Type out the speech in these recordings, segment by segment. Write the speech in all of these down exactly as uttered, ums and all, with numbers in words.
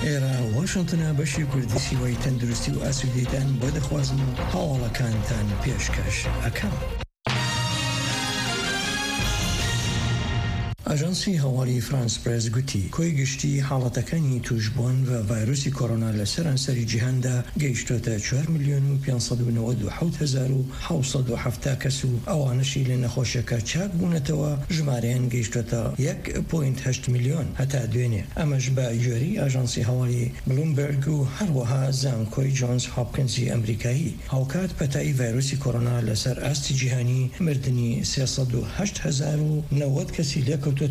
ئێرە واشنتنە، بەشی کوردی سیوای تەندروستی و ئاسوودەیتان بۆ دەخوازم و هەواڵەکانتان پێشکەش ئەکەم. ئاژانسی هەواڵی فرانس پرێس گوتی، کۆی گشتی حاڵەتەکانی توشبوون بە ڤایرۆسی کۆرۆنا لە سەرانسەری جیهاندا گەیشتۆتە چوار ملیۆن و پێنج سەد و نەوەد و حەوت هەزار و حەوت سەد و حەفتا کەس و ئەوانەشی لە نەخۆشیەکە چاک بوونەتەوە ژمارەیان گەیشتۆتە یەک پۆینت هەشت ملیۆن هەتا دوێنێ. ئەمەش بە گوێری ئاژانسی هەواڵی بلومبەرگ و هەروەها زانکۆی جۆنز هۆپکنزی ئەمریکایی. هاوکات پەتای ڤایرۆسی کۆرۆنا لەسەر ئاستی جیهانی مردنی سێ سەد و هەشت هەزار و نەوەد کەسی لێکەوتۆتەوە.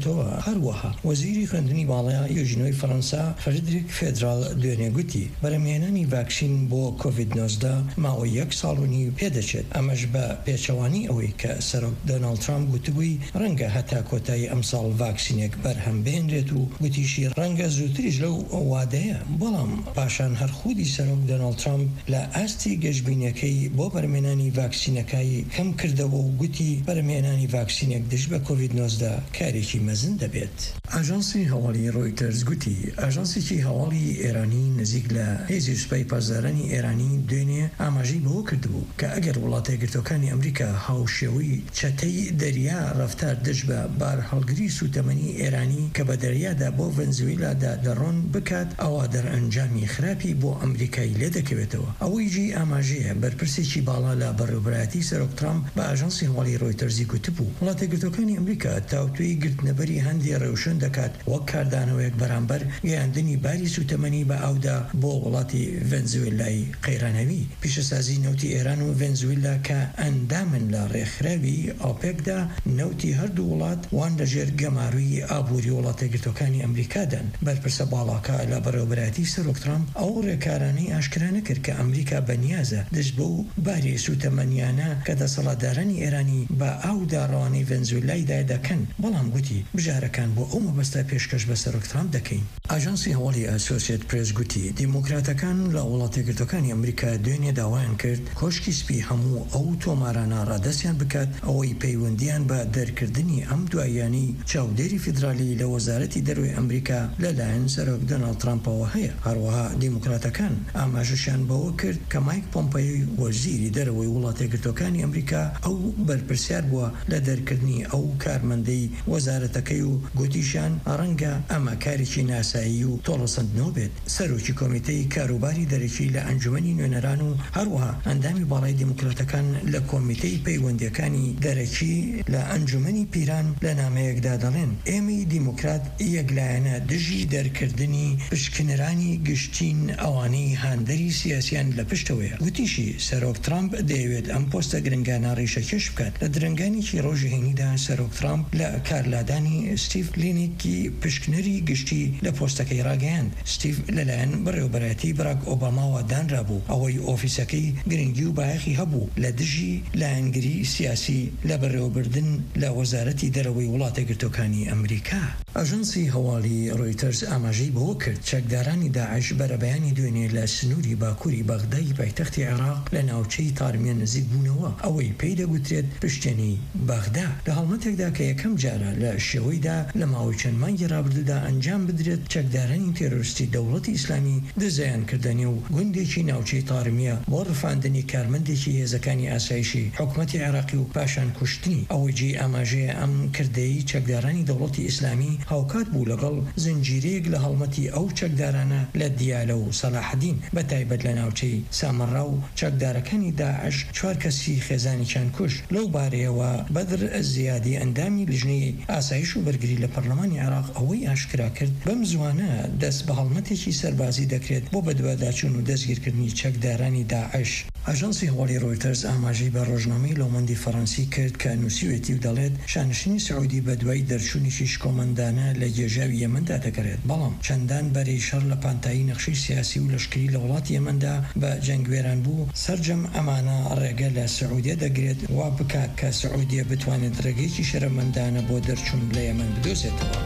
هەروەها وەزیری خوێندنی باڵای یوژینۆی فەڕەنسا، فریدریک فێدرال، دوێنێ گوتی، بەرەمێنانی ڤاکسین بۆ کۆڤید نۆزدە ماوەی یەک ساڵ و نیو پێدەچێت. ئەمەش بە پێچەوانی ئەوەی کە سەرۆک دۆناڵد ترامپ گوتبووی، ڕەنگە هەتا کۆتایی ئەمساڵ ڤاکسینێک بەرهەم بهێنرێت و گوتیشی، ڕەنگە زووتریش لەو وادەیە. بەڵام پاشان هەر خودی سەرۆک دۆناڵد ترامپ لە ئاستی گەشبینیەکەی بۆ بەرمێنانی ڤاکسینەکەی کەم کردەوە و گوتی، بەرمێنانی ڤاکسینێک دژ بە کۆڤید نۆزدە کارێکی مەزن دەبێت. ئاژانسی هەواڵی ڕۆیتەرز گوتی، ئاژانسێکی هەواڵی ئێرانی نزیک لە هێزی سوپای پاسدارانی ئێرانی دوێنێ ئاماژەی بەوە کردبوو کە ئەگەر وڵاتە یەکگرتوەکانی ئەمریکا هاوشێوەی چەتەی دەریا ڕەفتار دژ بە بارهەڵگری سوتەمەنی ئێرانی کە بە دەریادا بۆ ڤەنزویلادا دەڕۆن بکات، ئەوا دەرئەنجامی خراپی بۆ ئەمریکای لێ دەکەوێتەوە. ئەوەی جێی ئاماژەیە، بەرپرسێکی باڵا لە بەڕێوەبەرایەتی سەرۆک ترامپ بە ئاژانسی هەواڵی ڕۆیتەرزی گوتبوو، وڵاتە یەکگرتوەکانی ئەمریکا تاوتوێی گرتنەبەری هەندێ ڕێوشوێن دەکات، وەک کاردانەوەیەک بەرامبەر گەیاندنی باری سوتەمەنی بە ئاودا بۆ وڵاتی ڤەنزوێلای قەیرانەوی. پیشەسازی نەوتی ئێران و ڤەنزوێلا کە ئەندامن لە ڕێکخراوی ئۆپێکدا، نەوتی هەردوو وڵات وان لەژێر گەماروی ئابووری وڵاتە یەکگرتوەکانی ئەمریکادان. بەرپرسە باڵاکە لە بەڕێوەبەرایەتی سەرۆک ترامپ ئەو ڕێکارانەی ئاشکرا نەکرد کە ئەمریکا بەنیازە دژ بەو باری سوتەمەنیانە کە دەسەڵاتدارانی ئێرانی بە ئاودا ڕەوانەی ڤەنزوێلایدا دەکەن، بەڵام گوتی، بژارەکان بۆ ئەو مەبەستە پێشکەش بە سەرۆک ترامپ دەکەین. ئاژانسی هەواڵی ئەسۆسیێت پرێس گوتی، دیموکراتەکان لە وڵاتە یەکگرتوەکانی ئەمریکا دوێنێ داوایان کرد کۆشکی سپی هەموو ئەو تۆمارانە ڕادەستیان بکات، ئەوەی پەیوەندیان بە دەرکردنی ئەم دواییانەی چاودێری فیدرالی لە وەزارەتی دەروی ئەمریکا لەلایەن سەرۆک دۆناڵد ترامپەوە هەیە. هەروەها دیموکراتەکان ئاماژەشیان بەوە کرد کە مایک پۆمپەیۆی وەزیری دەرەوەی وڵاتە یەکگرتوەکانی ئەمریکا ئەو بەرپرسیار بووە لە دەرکردنی ئەو کارمەندەی وەزارەتەکەی و گوتیشیان، ڕەنگە ئەمە کارێکی ناسایی و تۆڵەسەندنەوە بێت. سەرۆکی کۆمیتەی کاروباری دەرەکی لە ئەنجومەنی نوێنەران و هەروەها ئەندامی باڵای دیموکراتەکان لە کۆمیتەی پەیوەندیەکانی دەرەکی لە ئەنجومەنی پیران لە نامەیەکدا دەڵێن، ئێمەی دیموکرات یەکلایەنە دژی دەرکردنی پشکنرانی گشتین، ئەوانەی هاندەری سیاسیان لە پشتەوەیە. گوتیشی، سەرۆک ترامپ دەیەوێت ئەم پۆستە گرنگانە ڕیشەکێش بکات. لە درنگانێکی ڕۆژی هەینیدا سەرۆک ترامپ لە کارلادانی ستیڤ لینیکی پشکنەری گشتی لە پۆستەکەی ڕاگەیاند. ستیڤ لەلایەن بەڕێوەبەرایەتی براک ئۆباماوە دانرابوو، ئەوەی ئۆفیسەکەی گرنگی و بایەخی هەبوو لە دژی لایەنگری سیاسی لە بەڕێوەبردن لە وەزارەتی دەرەوەی وڵاتە گرتوەکانی ئەمریکا. ئاژانسی هەواڵی ڕۆیتەرز ئاماژەی بەوە کرد، چەکدارانی داعش بەرەبەیانی دوێنێ لە سنووری باکووری بەغدای پایتەختی عێراق لە ناوچەی تارمیە نزیک بوونەوە، ئەوەی پێی دەگوترێت پشتێنی بەغدا. لە هەڵمەتێکدا کە یەکەم جارە لە شێوەیدا لە ماوەی چەند مانگی ڕابردوودا ئەنجام بدرێت، چەکدارانی تێرۆریستی دەوڵەتی ئیسلامی دزەیان کردە نێو گوندێکی ناوچەی تارمیە بۆ ڕفاندنی کارمەندێکی هێزەکانی ئاسایشی حکومەتی عێراقی و پاشان کوشتنی. ئەوەی جێی ئاماژەیە، ئەم کردەی چەکدارانی دەوڵەتی ئیسلامی هاوکات بوو لەگەڵ زنجیرەیەک لە هەڵمەتی ئەو چەکدارانە لە دیالە و سەلاحەدین، بە تایبەت لە ناوچەی سامەڕا و چەکدارەکانی داعش چوار کەسی خێزانیان کوشت. لەو بارەیەوە بەدر زیادی، ئەندامی لیژنەی ئاسایش و بەرگری لە پەرلەمانی عێراق، ئەوەی ئاشکرا کرد، بەم زوانە دەست بە هەڵمەتێکی سەربازی دەکرێت بۆ بەدواداچوون و دەستگیرکردنی چەکدارانی داعش. ئاژانسی هەواڵی ڕۆیتەرز ئاماژەی بە ڕۆژنامەی لۆمۆندی فەڕەنسی کرد کە نووسیوێتی و دەڵێت، شانشینی سعودی بە دوای دەرچوونی شیش کۆمەندانە لە گێژاوی یەمەندا دەگەڕێت، بەڵام چەندان بەرەی شەڕ لە پانتایی نەخشەی سیاسی و لەشکری لە وڵاتی یەمەندا بە جەنگوێران بوو. سەرجەم ئەمانە ڕێگە لە سعودیە دەگرێت وا بکات کە سعودیە بتوانێت ڕێگەیەکی شەرەفمەندانە بۆ دەرچوون لە یەمەن بدۆزێتەوە.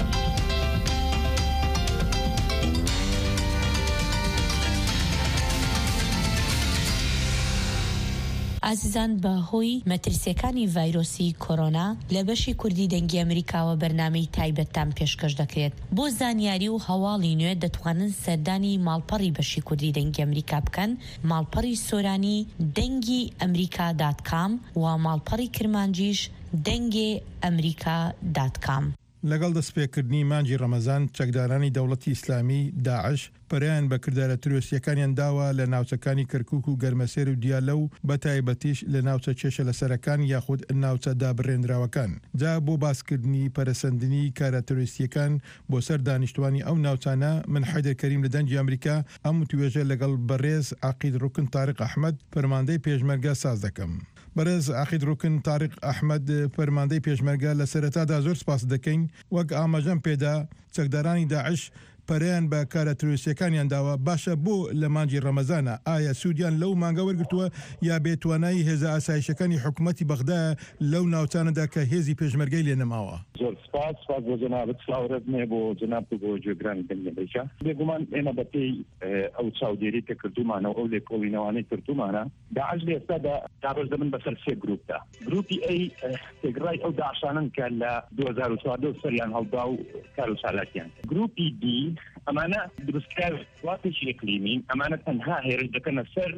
ئازیزان، بە هۆی مەترسیەکانی ڤایرۆسی کۆرۆنا، لە بەشی کوردی دەنگی ئەمریکاوە بەرنامەی تایبەتتان پێشکەش دەکرێت. بۆ زانیاری و هەواڵی نوێ دەتوانن سەردانی ماڵپەڕی بەشی کوردی دەنگی ئەمریکا بکەن، ماڵپەڕی سۆرانی دەنگی ئەمریکا دات کام و ماڵپەڕی کرمانجیش دەنگێ ئەمریکا دات کام. لەگەڵ دەستپێکردنی مانگی ڕەمەزان، چەکدارانی دەوڵەتی ئیسلامی، داعش، پەرەیان بە کردارە ترۆریستیەکانیان داوە لە ناوچەکانی کەرکووک و گەرمەسێر و دیالە و بە تایبەتیش لە ناوچە کێشە لەسەرەکان یاخود ناوچە دابڕێنراوەکان. جا بۆ باسکردنی پەرەسەندنی کارە ترۆریستیەکان بۆ سەر دانیشتوانی ئەو ناوچانە، من حەیدەر کەریم لە دەنگی ئەمریکا ئەم وتوێژە لەگەڵ بەڕێز عەقید ڕوکن تاریق ئەحمەد، فەرماندەی پێشمەرگە ساز دەکەم. بەڕێز عەقید ڕوکن تاریق ئەحمەد، فەرماندەی پێشمەرگە، لە سەرەتادا زۆر سپاس دەکەین. وەک ئاماژەم پێدا، چەکدارانی داعش پەرەیان بە کارە ترۆریستیەکانیان داوە. باشە، بۆ لە مانگی ڕەمەزانە؟ ئایا سوودیان لەو مانگە وەرگرتووە یا بێتوانایی هێزە ئاسایشەکانی حکوومەتی بەغدایە لەو ناوچانەدا کە هێزی پێشمەرگەی لێ نەماوە؟ زۆر سپاس، سپاس بۆ جەنابت، سڵاو ڕێز مێ بۆ جەنابت و بۆ جێگرانی دەنگی ئەمریکا. بێگومان ئێمە بە پێی، ئێ، ئەو چاودێری کە کردومانە و ئەو لێکۆڵینەوانەی کردومانە، داعش لە ئێستادا دابەش دەبن بەسەر سێ گروپدا. گروپی ئەی، ئێ، تێگڕای ئەو داعشانن کە لە دوو هەزار و چواردە و سەریان هەڵدا و کار و چالاکیان کرد. گروپی دی، ئەمانە دروستکراوی وڵاتێکی ئیقلیمین، ئەمانە تەنها هێرش دەکەنە سەر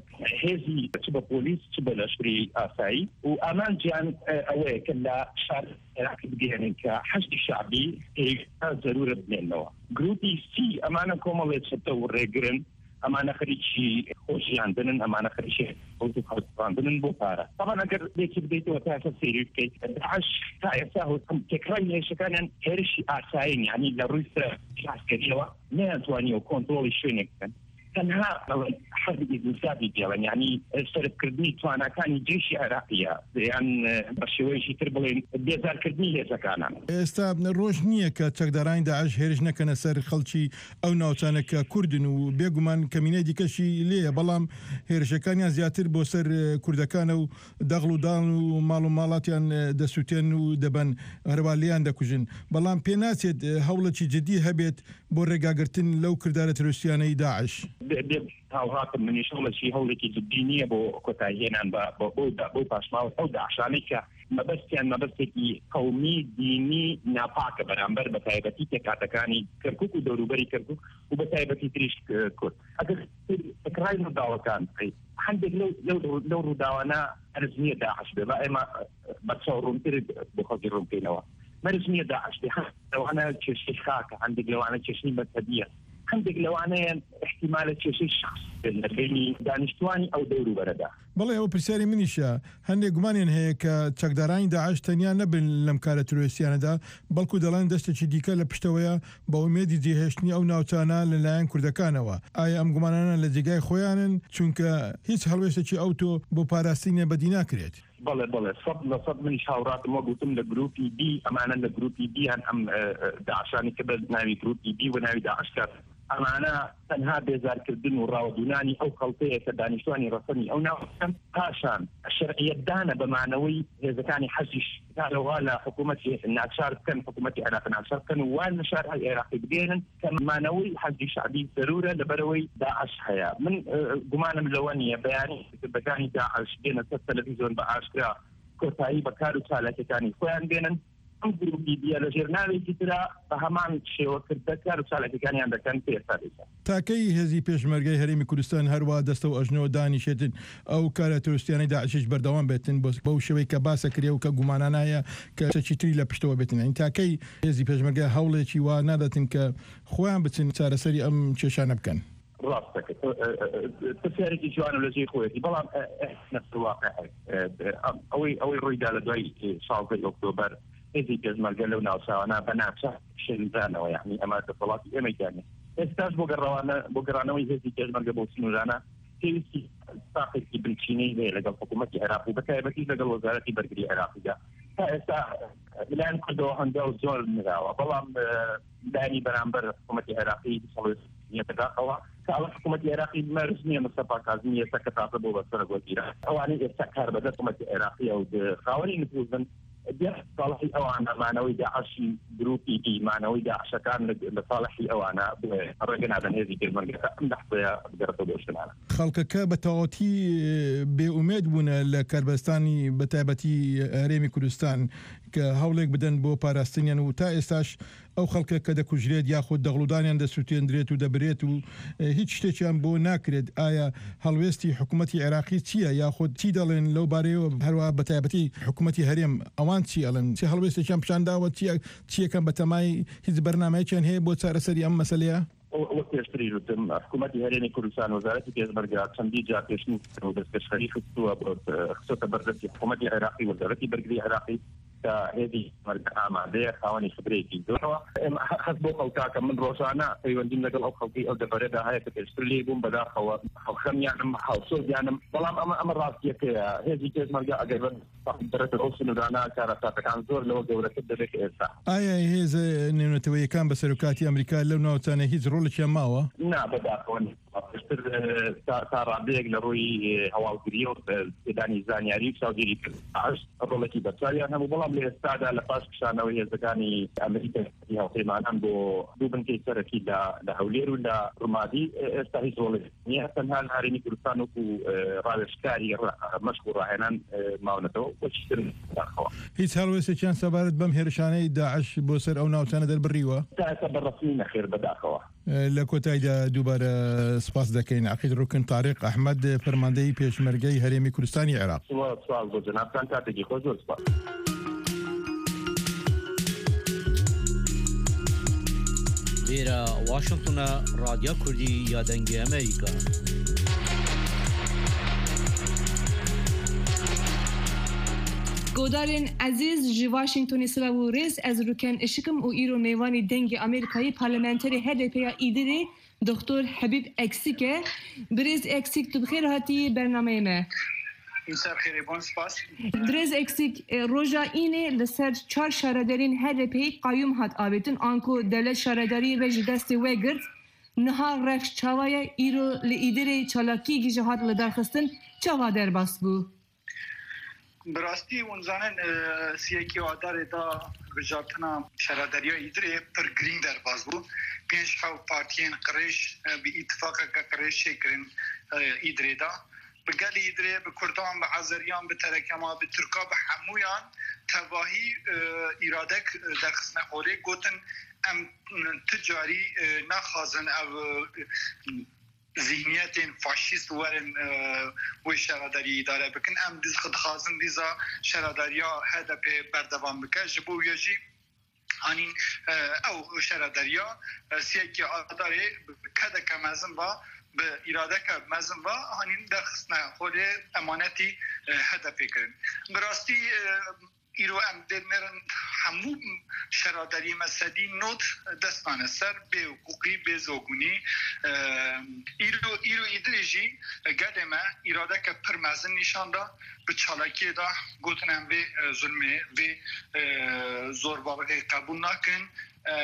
هێزی چ بە پۆلیس، چ بە لەشکری ئاسایی و ئامانجیان، ئێ، ئەوەیە کە لە شار عێراقی بگەێنن کە حەشدی شعبی پێویستە زەرورە بمێنەوە. گروپی سی، ئەمانە کۆمەڵێ چەتە و ڕێگرن، ئەمانە خەریکی خۆشیاندنن، ئەمانە خەریکی خەوت و خەوتڕاندنن بۆ پارە. تەبەن ئەگەر لێکی بدەیتەوە تا ئێستا سێری بکەیت، داعش تا ئێستا هۆ-، تێکڕای هێرشەکانیان هێرشی ئاسایین، یعنی لە ڕووی سەر عسکەریەوە نەیانتوانیەوە کۆنترۆڵی شوێنێک بکەن. تەنها حەزی ئیزنسابی دێڵن، یعنی سەرفکردنی تواناکانی جێشی عێراقیە، یان بە شێوەیەکی تر بڵێن بێزارکردنی هێزەکانان. ئێستا ڕۆژ نییە کە چەکدارانی داعش هێرش نەکەنە سەر خەڵکی ئەو ناوچانە کە کوردن و بێگومان کەمینەی دیکەشی لێیە، بەڵام هێرشەکانیان زیاتر بۆ سەر، ئێ، کوردەکانە و دەغڵ و داڵ و ماڵ و ماڵاتیان، ئێ، دەسووتێن و دەبەن، هەروە لێیان دەکوژن. بەڵام پێ ناچێت، ئێ، هەوڵێکی جدی هەبێت بۆ ڕێگاگرتن لەو کردارە ترۆریستیانەی داعش. بێ، بێ هاوڕاتم، منیش هەوڵەکی، هەوڵێکی جدی نییە بۆ کۆتاییهێنان بە، بە، بەو دا-، بەو پاشماوە ئەو داعشانەی کە مەبەستیان مەبەستێکی قەومی، دینی ناپاکە بەرامبەر بە تایبەتی پێکاتەکانی کەرکووک و دەوروبەری کەرکووک و بە تایبەتی تریش، ئێ، کورد. ئەگەر تکرای ڕووداوەکان بکەیت، هەندێک لەو، لەو، لەو ڕووداوانە ئەرز نییە داعش بێ، با ئێمە بە چاوڕوونتر بۆ خەڵکی ڕوون بکەینەوە. مەرج نییە داعش بێ، هەندێک لەوانە کێشەی خاکە، هەندێک لەوانە کێشەی مەزهەبیە، هەندێک لەوانەیە احتیمالە کێشەی شخص بێت لە بینی دانیشتوانی ئەو دەوروبەرەدا. بەڵێ، ئەوە پرسیاری منیشە. هەندێک گومانیان هەیە کە چەکدارانی داعش تەنیا نەبن لەم کارە ترۆریستیانەدا، بەڵکو دەڵێن دەستێکی دیکە لە پشتەوەیە بە ئومێدی جێهێشتنی ئەو ناوچانە لەلایەن کوردەکانەوە. ئایا ئەم گومانانە لە جێگای خۆیانن؟ چونکە هیچ هەڵوێستێکی ئەو تۆ بۆ پاراستنی بەدی ناکرێت. بەڵێ، بەڵێ، سەد لە سەد منیش هاوڕاتم، وەک گوتم، لە گروپی بی، ئەمانە لە گروپی بیان ئەم، ئە، ئە، داعشانی کە بە ناوی گروپی بی و ناوی داعش کات. ئەمانە تەنها بێزارکردن و ڕاوەدونانی ئەو خەڵکەیە کە دانیشتوانی ڕەسەنی ئەو ناوچەن. پاشان شەرعیەتدانە بە مانەوەی هێزەکانی حەشدی شعبی لە حکوومەتی ناچار بکەن، حکوومەتی عێراق ناچار بکەن و وان لە شار عێراقی بگەێنن کە مانەوەی حەشدی شعبی زەرورە لەبەرەوەی داعش هەیە. من، ئە، گومانم لەوە نییە بەیانی کردەکانی داعش بێنە سەر تەلەڤیزیۆن بە ئاشکرا کۆتایی بە کار و چالاکیەکانی خۆیان بێنن. ئەم گروپی دیە لە ژێر ناوێکی ترا بە هەمان شێوە کردە کار و چالاکیەکانیان دەکەن پێ ئێستا دەیکەن. تاکەی هێزی پێشمەرگەی هەرێمی کوردستان هەروە دەستە و ئەژنۆ دانیشێتن ئەو کارە ترۆریستیانەی داعشیش بەردەوام بێتن بۆ، بەو شێوەی کە باسە کرێ و کە گومانانایە کە چەکی تری لە پشتەوە بێتن؟ یعنی تاکەی هێزی پێشمەرگە هەوڵێکی وا نادەتن کە خۆیان بچن چارەسەری ئەم کێشانە بکەن؟ ڕاستەکە، ئە، ئە، ئە، پرسیارێکی جوانە لە جێی خۆیەتی، بەڵام، ئە، ئە، نەفس واقع، ئە، ئە، ئەوەی، ئەوەی ڕوویدا لە دوای، ئێ، شازدە ئۆکتۆبەر، هێزی پێشمەرگە لەو ناوچاوانە بە ناچار شێلدانەوە، یعنی ئەمە دەسەڵاتی ئێمەی دانێ. ئێستاش بۆ گەڕەوانە، بۆ گەڕانەوەی هێزی پێشمەرگە بۆ سنوورانە پێویستی ساقێکی بنچینەی هەیە لەگەڵ حکوومەتی عێراق و بە تایبەتی لەگەڵ وەزارەتی بەرگری عێراقیدا. تا ئێستا لەلایەن کوردەوە هەنگاو زۆر نراوە، بەڵام، ئە، لانی بەرامبەر حکوومەتی عێراقی دەسەڵات نیە دەداخەوە. تا ئەوە حکوومەتی عێراقی مەرج نییە مستەفا کازمی ئێستا کە تازە بۆ بە سەرۆک وەزیران. ئەوانەی ئێستا کار بەدەست حکوومەتی عێراقیە و خاوەنی نفوذن، دێت ساڵحی ئەوانە مانەوەی داعشی گروپی دی مانەوەی داعشەکان لە ساڵحی ئەوانە ڕێگە نادەن هێزی پێشمەرگەکە ئەم لەحظەیە بگەڕێتەوە بۆ شتمانە. خەڵکەکە بە تەواوەتی بێ ئومێد بوونە لە کاربەستانی بە تایبەتی هەرێمی کوردستان کە هەوڵێک بدەن بۆ پاراستنیان و تا ئێستاش ئەو خەڵکە کە دەکوژرێت یاخود دەغڵودانیان دەسووتێندرێت و دەبرێت و هیچ شتێکیان بۆ ناکرێت. ئایا هەڵوێستی حکوومەتی عێراقی چییە یاخود چی دەڵێن لەو بارەیەوە؟ هەروە بە تایبەتی حکوومەتی هەرێم ئەوان چی ئەڵێن؟ چی هەڵوێستێکیان پیشانداوە؟ چییە چیەکەن بە تەمای هیچ بەرنمەیەکیان هەیە بۆ چارەسەری ئەم مەسلەیە؟ وەک پێشتری وتم، حکوومەتی هەرێمی کوردستان وەزارەتی پێشمەرگە چەندی جار پێشنیار و دەستپێشخەری خستووە بۆ خستۆتە بەردەستی حکوومەتی عێراقی، وەزارەتی بەرگری عێراقی کە هێزی مەرگە ئامادەیە خاوەنی خبرەیەکی زۆرەوە. ئێمە هە- هەست بۆ خەڵکاکە من ڕۆژانە پەیوەندیم لەگەڵ ئەو خەڵکی ئەو دەبەرەدا هەیە کە پێشتر لێ بووم بەداخەوە خەڵخەمیانم هاوسۆزیانم، بەڵام ئەمە ئەمە ڕاستیەکەیە هێزی پێشمەرگە ئەگەر بەرەتە ئەو سنوورانە کارەساتەکان زۆر لەوە گەورەتر دەبێت کە ئێستا. ئایا هێزە نێونەتەوەیەکان بە سەرۆکاتی ئەمریکا لەو ناوچانە هیچ ڕۆڵێکیان ماوە؟ نا بەداخەوە نیە. پێشتر تا تا ڕادەیەک لە ڕووی هەواڵگری و پێدانی زانیاری و چاودێری کرد ئاش ڕۆڵێکی بەرچاویان هەبوو، بەڵام لە ئێستادا لە پاش کشانەوەی هێزەکانی ئەمریکا هاوپەیمانان بۆ دوو بنکەی سەرەکی لە لە هەولێر و لە ڕمادی ئێستا هیچ ڕۆڵێک نییە، تەنها لە هەرێمی کوردستان وەکو ڕاوێژکاری مەشق و ڕاهێنان ماونەتەوە. وەکی تر داخەوە. هیچ هەڵوێستێکیان سەبارەت بەم هێرشانەی داعش بۆ سەر ئەو ناوچانە دەربڕیوە؟ تا ئێستا بەڕەسمی نەخێر بەداخەوە. لە کۆتاییدا دووبارە سپاس دەکەین عەقید ڕوکن تاریق ئەحمەد، فەرماندەی پێشمەرگەی هەرێمی کوردستانی عێراق. سپاس بۆ جەنابتان، کاتێکی خۆش، زۆر سپاس. Vêra Washington e, Radya Kurdî ya Dengê Amerîka. Godarên ezîz, ji Washingtonê silav û rêz, ez Rûken Işik im û îro mêvanî Dengê Amerîkayê parlamenterê H D P ya Îdirê, Doktor Hebîb Eksik e. Birêz Eksik, tu bi xêr hatî bernameyê me. Îmser xêrê bon, spas. Birêz Eksik, e, roja înê li ser çar şaredarên H D P'ê qayûm hat avêtin, anku dewlet şaredariyê ve ji destê we girt. Niha rewş çawa ye? Îro li Îdirê çalakiyekî jî hat lidarxistin. Çawa derbas bû? Bi rastî hûn zanin, e, siyekî Adarê de hilbijartina şaredariya Îdirê pir girîng derbas bû. Pênc hew partiyên qirêj, e, bi îtifaqeke qirêj çêkirin, e, Îdirê de. Bi gelê Îdirê, bi Kurdan, bi Azeriyan, bi Terekema, bi Tirka, bi hemûyan tevahî, e, îradek, e, derxistine holê, gotin, em, e, ti carî, e, naxwazin ev, e, zihniyetên faşîst werin, e, wê şaredariyê îdare bikin. Em diz-, dixwazin dîza şaredariya H D P berdewam bike. Ji bo wê jî hanîn, e, ew şaredariya, e, siyekî Adarê bi kedeke mezin ve, bi îradeke mezin ve hanîn derxistine holê emanetî, e, H D P kirin. Bi rastî, e, îro em dê nerin hemû şaredariyê me sedî nod dest nane ser bê hiqûqî, bê zogunî. E, îro, îro Îdirê jî gelê me îradeke pir mezin nîşan da. Bi çalakiyê de gotin em vê, e, zulmê, vê, e, zorbalixê qebûl nakin. E,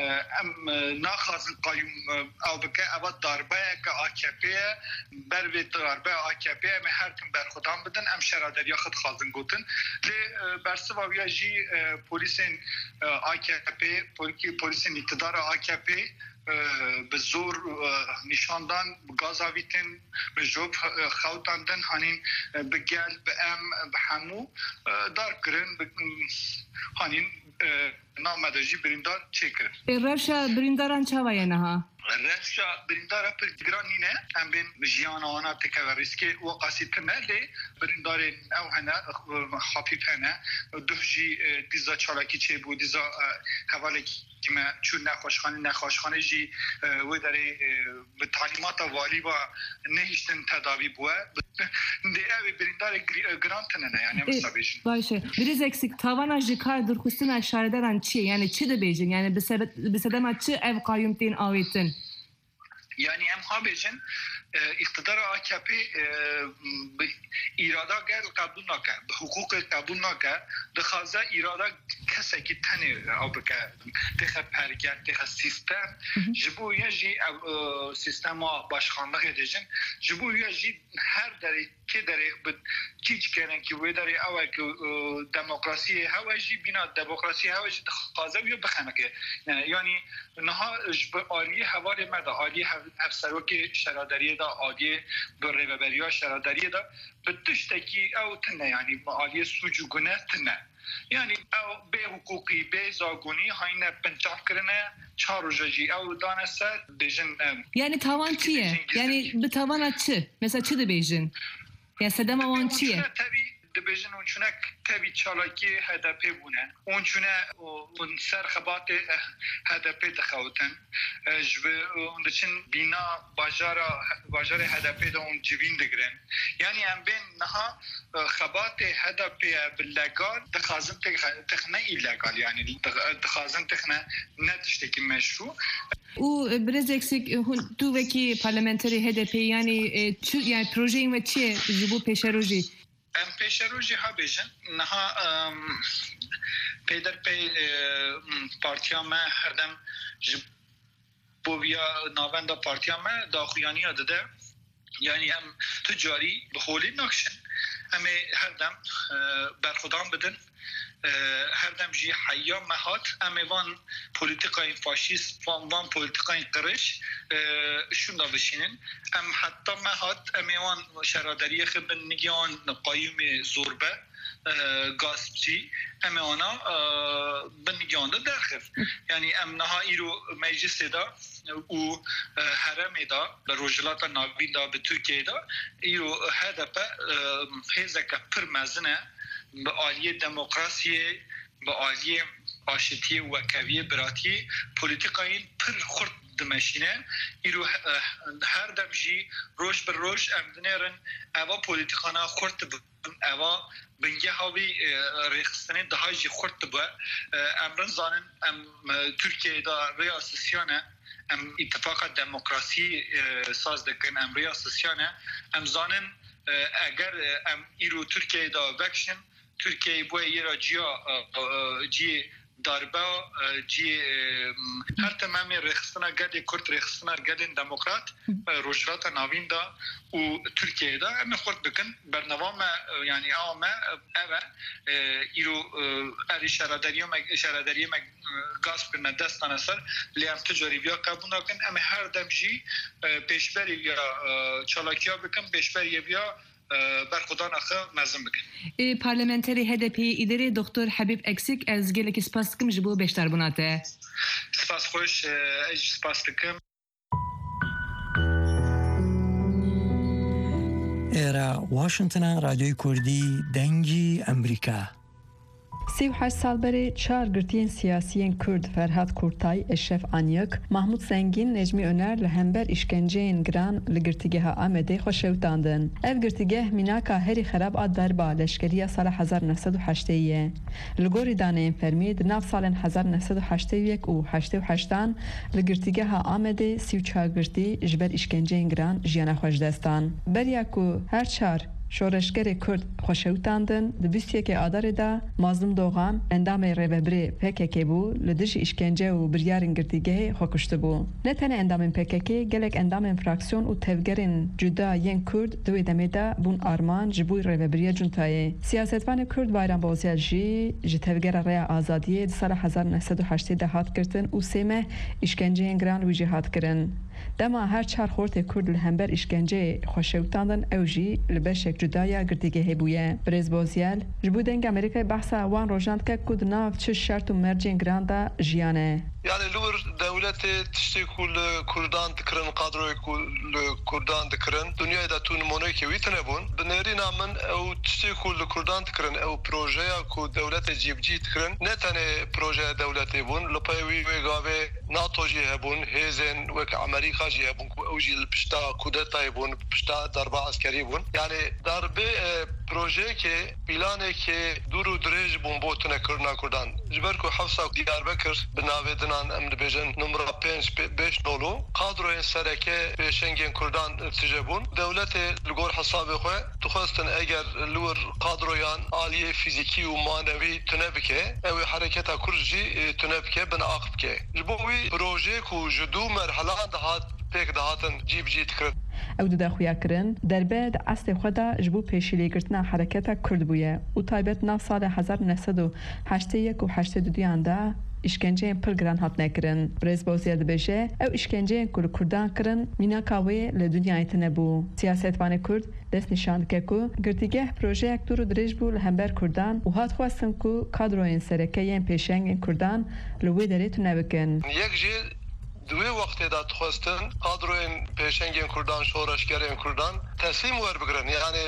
em, e, naxwazin qayûm, e, ew bike. Eva darbeyeke A K P ye. Ber vê darbeya A K P em ê her tim berxwedan bidin. Em şaredariya xwe dixwazin gotin. Lê, e, bersiva wî ya jî, e, polîsên, e, A K P, polîkî-, polîsên îktidara A K P, e, bi zor, e, nîşan dan, bi gaz avîtin, bi jop, e, xewtandin, hanîn, e, bi gel, bi em, bi hemû, e, darb kirin, bi, hanîn, e, nav me de jî birîndar çêkirin. Ê, rewşa birîndaran çawa ye niha? Rewşa birîndara pir giran nîne. Em bên jiyana wana têkeve rîskê, weqasî tune, lê birîndarên ew hene, e, xafîf hene. Duh jî, e, dîza çalakî çêbû, dîza, e, hevalekî me çû nexweşxane, nexweşxane jî, e, wê derê, e, bi talîmata valî ve nehiştin tedavî bûye. Dê ew ê birîndarê gri-, e, giran tune ne, yani, em Ê, wisa bêjin. Baş e. Birêz Eksik, tavana ji kar dûrxistina şaredaran çi ye? Yani çi dibêjin? Yani bi sebe-, bi sedema çi ev qayûm tên awêtin? Yani em ha bêjin, E, îqtidara A K P, e, bi îrada gel qebûl nake, bi hiqûqê qebûl nake, dixwaze îrada kesekî tenê ew bike, têxe pergel, têxe sîstem. Ji bo wê jî ev, e, sîstema başxanlixê dibêjin, ji bo wê jî her derê, kê derê bi çî çikene ki wê derê ew e ki, e, demokrasiyê hewe jî, bîna demokrasiyê hewe jî dixwaze wê bixeniqe. E, yanî niha ji bi aliyê hevalê me de, aliyê hev-, hevserokê şaraderiyê de, aliyê bi rêveberiya şaraderiyê de bi tiştekî ew tune, yanî bi aliyê sûc û gune tune. Yanî ew bê hiqûqî, bê zagonî hayne pinçav kirine, çar roja jî ew dane ser, dibêjin, em, Yanî tawan çi ye? Yanî bi tawana çi? Mesela çi dibêjin? Ya sedema wan çi ye? Tevî dibêjin û çûne tevî çalakiyê H D P bûne. Hûn çûne û hûn ser xebatê, eh, H D P dixewitin. Eh, ji bi, hûn diçin bîna bajara, bajarê H D P de hûn civîn digirin. Yanî em bên niha, eh, xebatê H D P ye bi legal, dixwazin têxe-, têxine îlegal, yanî dix-, dixwazin têxine ne tiştekî meşrû. Û, e, birêz Eksik, e, hûn, tu wekî parlamenterê H D P, yanî, e, çi, yanî projeyên we çi ye ji bo pêşerojê? Em pêşerojê ha bêjin, niha, em, peyderpey, e, partiya me her dem ji bo viya navenda partiya me daxuyaniya dide. Yanî em tu carî bi holê nakişin. Em ê her dem, e, berxwedan bidin. E, her dem jî heya me hat, em ê van polîtîkayên faşîst, van, van polîtîkayên qirêj, e, şûnda bişînin. Em heta me hat, em ê wan şaraderiyê xwe bin nigê wan qayûmê zorbe, e, gaspçî, em ê wana, e, bin nigê wan de derxiv. Yanî em niha îro meclisê de û, e, herêmê de, li Rojhilata Navîn de, bi Tirkiyeyê de, îro H D P, e, hêzeke pir mezin e, bi aliyê demokrasiyê, bi aliyê aşitiyê, wekeviyê, biratiyê, polîtîkayên pir xurt dimeşîne. Îro, e, her dem jî roj bi roj em dinêrin eva polîtîkana xurt bi eva bingeha wî, e, rêxistinê daha jî xurt dibe. E, em rin zanin, em, e, Tirkiyeyê de rêya sisyan e, em îtifaqa demokrasî, e, saz dikin, em rêya sisyan e. Em zanin, e, eger, e, em îro Tirkiyeyê de vekişin, Tirkiyeyê bûye yê ra ciya, e, e, ciyê darbe, e, ciyê, e, her tim em ê rêxistina gelê Kurd, rêxistina gelên demokrat, e, Rojhilata Navîn de û Tirkiyeyê de em ê xurt bikin. Bernama me, e, yanî awa me, e, ev e. E, îro, e, erê şaredariya me, şaredariyê me, e, gasp kirine, dest dane ser, lê em tu carî viya qebûl nakin. Em ê her dem jî, e, pêşberî viya, e, çalakiya bikin, pêşberî viya e, berxwedana xwe mezin bikin. Ê, parlamenterê H D P'ê Îdirê Doktor Habîb Eksik, ez gelekî spas dikim ji bo beşdarbûna te. Spas xweş, e, ez jî spas dikim. Êra Washington e, Radyoyê Kurdî, Dengî Amerîka. Sî û heşt sal berê çar girtiyên siyasiyên Kurd Ferhat Kurtay, Eşref Anyik, Mahmut Zengîn, Necmî Öner li hember îşkenceyên giran li Girtîgeha Amedê xwe şewitandin. Ev girtîgeh mînaka herî xerab a darba leşkeriya sala hezar neh sed û heştê ye. Li gorî daneyên fermî, di nav salên hezar neh sed û heştê û yek û heştê û heştan li Girtîgeha Amedê sî û çar girtî ji ber îşkenceyên giran jiyana xwe ji dest dan. Beriya ku her çar şoreşgerê Kurd xwe şewitandin, di bîst û yekê Adarê de Mazlûm Dogan, endamê rêvebirê P K K bû, li dijî îşkence û biryarên girtîgehê xwe kuştibû. Ne tenê endamên P K K, gelek endamên fraksiyon û tevgerên cuda yên Kurd di wê demê de bûn armanc ji bo rêvebiriya cuntayê. Siyasetvanê Kurd Bayram Bozyel jî ji Tevgera Rêya Azadiyê di sala hezar neh sed û heştê de hat girtin û sê meh îşkenceyên giran li wî jî hat kirin. Dema her çar xortê Kurd li hember îşkenceyê xwe şewitandin, ew jî li beşek cuda ya girtîgehê bûye. Birêz Bozyel ji bo Dengê Amerîkayê behsa wan rojan dike ku di nav çi şert û mercên giran de jiyane. Yani li wir dewletê tiştê ku li Kurdan dikirin, kadroyê ku li Kurdan dikirin, dinyayê de tu nimoneyekê wî tune bûn. Bi nêrîna min ew tiştê ku li Kurdan dikirin, ew projeya ku dewletê cîbicî dikirin, ne tenê projeya dewletê bûn. Li pey wî wê gavê NATO jî hebûn, hêzên wek Amerîka jî hebûn ku ew jî li pişta kudetayê bûn, pişta darba eskerî bûn. Yani darbê, e, Projeyekê, planekê dûr û dirêj bûn bo tunekirina Kurdan. Ji ber ku hefsa Diyarbekir bi navê dinan, em dibêjin numra pênc, pê-, beş nolu, kadroyên sereke pêşengên Kurdan tije bûn. Dewletê li gor hesabê xwe dixwestin eger li wir kadroyan aliyê fîzîkî û manewî tune bike, ew ê hereketa Kurd jî, e, tune bike, bin ax bike. Ji bo wî projeyê ku ji du merhelan dihat pêk dihatin cî bi cî dikirin. Ew dide xuya kirin, derbe di eslê xwe de ji bo pêşîlêgirtina hereketa Kurd bûye û taybet nav salê hezar neh sed û heştê yek û heştê du yan de îşkenceyên pir giran hatine kirin. Birêz Bozyel dibêje, ew îşkenceyên ku li Kurdan kirin, mînaka wê li dinyayê tune bû. Siyasetvanê Kurd dest nîşan dike ku girtîgeh projeyek dûr û dirêj bû li hember Kurdan û hat xwestin ku kadroyên sereke yên pêşengên Kurdan li wê derê tune bikin. Yek jî di wê wextê de dixwestin kadroyên pêşengên Kurdan, şoreşgerên Kurdan teslîm werbigirin. Yanî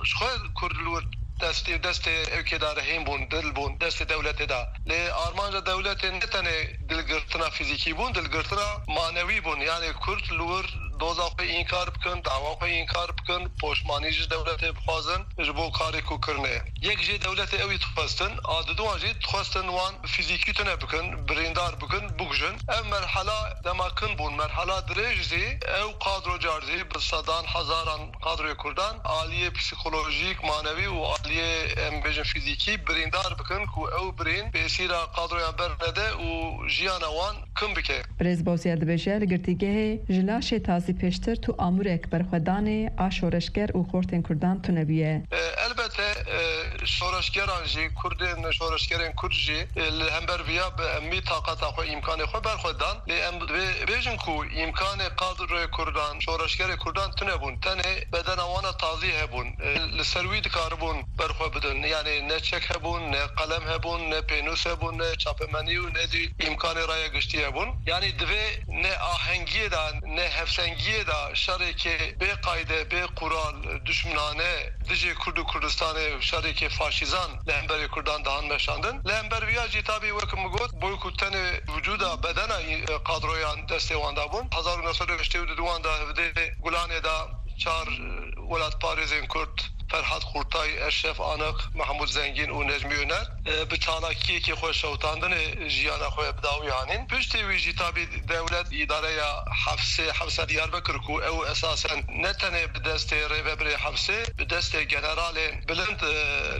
ji xwe Kurd li wir destê, destê ewkê de rehîn bûn, dil bûn, destê dewletê de. Lê armanca dewletê ne tenê dilgirtina fîzîkî bûn, dilgirtina manewî bûn. Yanî Kurd li wir doza xwe înkar bikin, dawa xwe înkar bikin, poşmanî ji dewletê bixwazin ji bo karê ku kirine. Yek jê dewletê ew ê dixwestin, a diduan jî dixwestin wan fîzîkî tune bikin, birîndar bikin, bikujin. Ev merhela dema kin bûn, merhela dirêj jî ew kadro car jî bi sedan hezaran kadroyê Kurdan aliyê psîkolojîk, manewî û aliyê, em bêjin, fîzîkî birîndar bikin ku ew birîn pêsîra kadroyan bernede û jiyana wan kin bike. Birêz Bozyel dibêje, li girtîgehê ji laşê tazî pêştir tu amûrek berxwedanê a şoreşger û xortên Kurdan tune bûye. E, elbete, e, şoreşgeran jî, Kurdên, şoreşgerên Kurd jî, e, li hember viya bi emî taqata xwe, îmkanê xwe berxwe dan. Lê em divê bêjin ku îmkanê kadroyê Kurdan, şoreşgerê Kurdan tune bûn. Tenê bedena wana tazî hebûn. E, li ser wî dikaribûn berxwe bidin. Yanî ne çek hebûn, ne qelem hebûn, ne pênûs hebûn, ne çapemenî û ne jî îmkanê raya giştî hebûn. Yanî divê ne ahengiyê de, ne hevsengiyê de şerêkê bê qayde, bê qural, duşminane dijî Kurd û Kurdistanê, şerêkê faşîzan li hemberê Kurdan dihan meşandin. Li hember viya jî tabî wek min got, boy ku tenê wicûda bedena, e, kadroyan destê wan de bûn. Hezar û neh sed û heştê û du de hevdê Gulanê de çar, e, welatparêzên Kurd, Ferhat Kurtay, Eşref Anık, Mahmut Zengin û Necmi Öner, e, bi çalakiyekê xwe şewitandinê jiyana xwe bi dawî anîn. Piştî wî jî tabî dewlet îdareya hefsê, hefsa Diyarbekir ku ew esasen ne tenê bi destê rêvebirê hefsê, bi destê generalên bilind, e,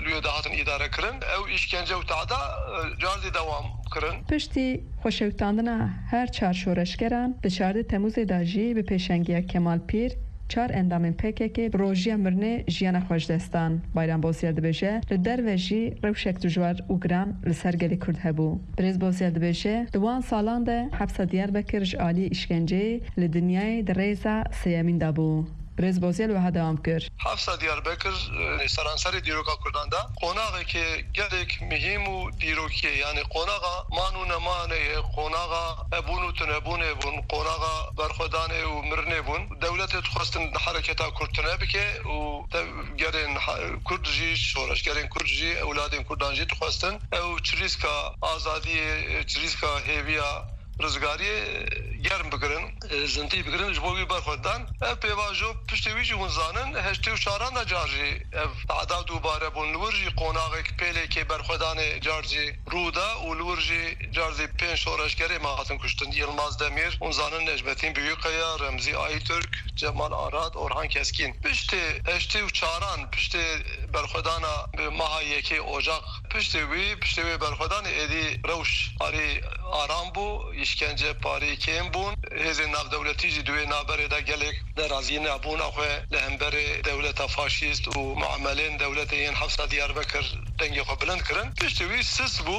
li wê dihatin îdare kirin. Ew îşkence û tehda, e, car zî dewam kirin. Piştî xweşewitandina her çar şoreşgeran, di çardeh Temûzê de jî bi pêşengiya Kemal Pîr, çar endamên P K K bi rojiya mirinê jiyana xwe ji dest dan. Bayram Bozyel dibêje, li derve jî rewşek dijwar û giran li ser gelê Kurd hebû. Birêz Bozyel dibêje, di wan salan de hepsa Diyarbekir ji aliyê îşkenceyê li dinyayê di rêza sêyemîn de bû. Birêz Bozyel wiha dewam kir. Hefsa Diyarbekir, e, seranserê dîroka Kurdan de qonaxekê gelek mihîm û dîrokî ye. Yanî qonaxa man û nemanê ye, qonaxa hebûn û tunebûnê bûn, qonaxa berxwedanê û mirinê bûn. Dewletê dixwestin hereketa Kurd tune bike û tevgerên ha-, Kurd jî, şoreşgerên Kurd jî, ewladên Kurdan jî dixwestin ew çirîska azadiyê, çirîska hêviya rizgariyê germ bigirin, e, zintî bigirin, ji bo wî berxwe dan. Ev pêvajo piştî wî jî hûn zanin, heştê û çaran de car jî ev tehda dubare bûn. Li wir jî qonaxek, pêlekê berxwedanê car jî rû da û li wir jî car jî pênc şoreşgerê me hatin kuştin. Yilmaz Demîr, hûn zanin, Necmetîn Büyükaya, Remzî Aytürk, Cemal Arad, Orhan Keskîn. Piştê heştê û çaran, piştê berxwedana bi meha yekê Ocaq, piştê wî, piştê wê berxwedanê êdî rewş parî aram bû, îşkence parî kêm bûn. Hêzên navdewletî jî di wê navberê de gelek nerazîna bûna xwe li hemberê dewleta faşîst û muamelên dewletê yên hefsa Diyarbekir dengê xwe bilind kirin. Piştî wî sis bû.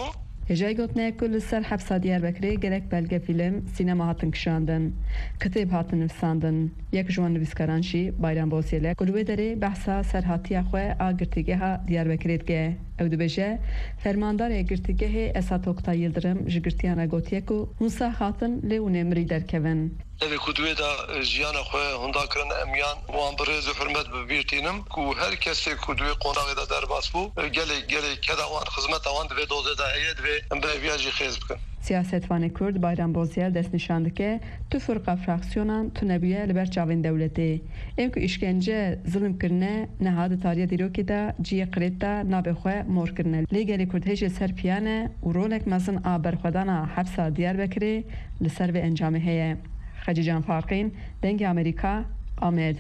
Hêjayî gotinê ku li ser hepsa Diyarbekirê gelek belgefîlm, sînema hatin kişandin, kitêb hatin nivîsandin. Yek ji wan nivîskaran jî Bayram Bozyel e ku li wê derê behsa serhatiya xwe a girtîgeha Diyarbekirê dike. Ew dibêje, fermandarê girtîgehê Esat Oktay Yildirim ji girtiyan re gotiye ku hûn sax hatin lê hûn ê mirî derkevin. Devê ku di wê de, e, jiyana xwe hunda kirin, em yan wan bi rêz û hurmet bi bîr tînim ku her kesê ku di wê qonaxê de derbas bû, e, gelê, gelê keda wan, xizmeta wan di vê dozê de heye, divê em bi hêviya jî xêz bikin. Siyasetvanê Kurd Bayram Bozyel destnîşan dike, tu firqa fraksyonan tunebûye li ber çavên dewletê. Ên ku îşkence, zilm kirine, niha di tariya dîrokê de cihê qirêt de navê xwe mor kirine. Lê gelê Kurd hêj li ser piya ne û rolek mezin a berxwedana hepsa Diyarbekirê li ser vê encamê heye. Xecîcan Farqîn, Dengê Amerîka, Amed.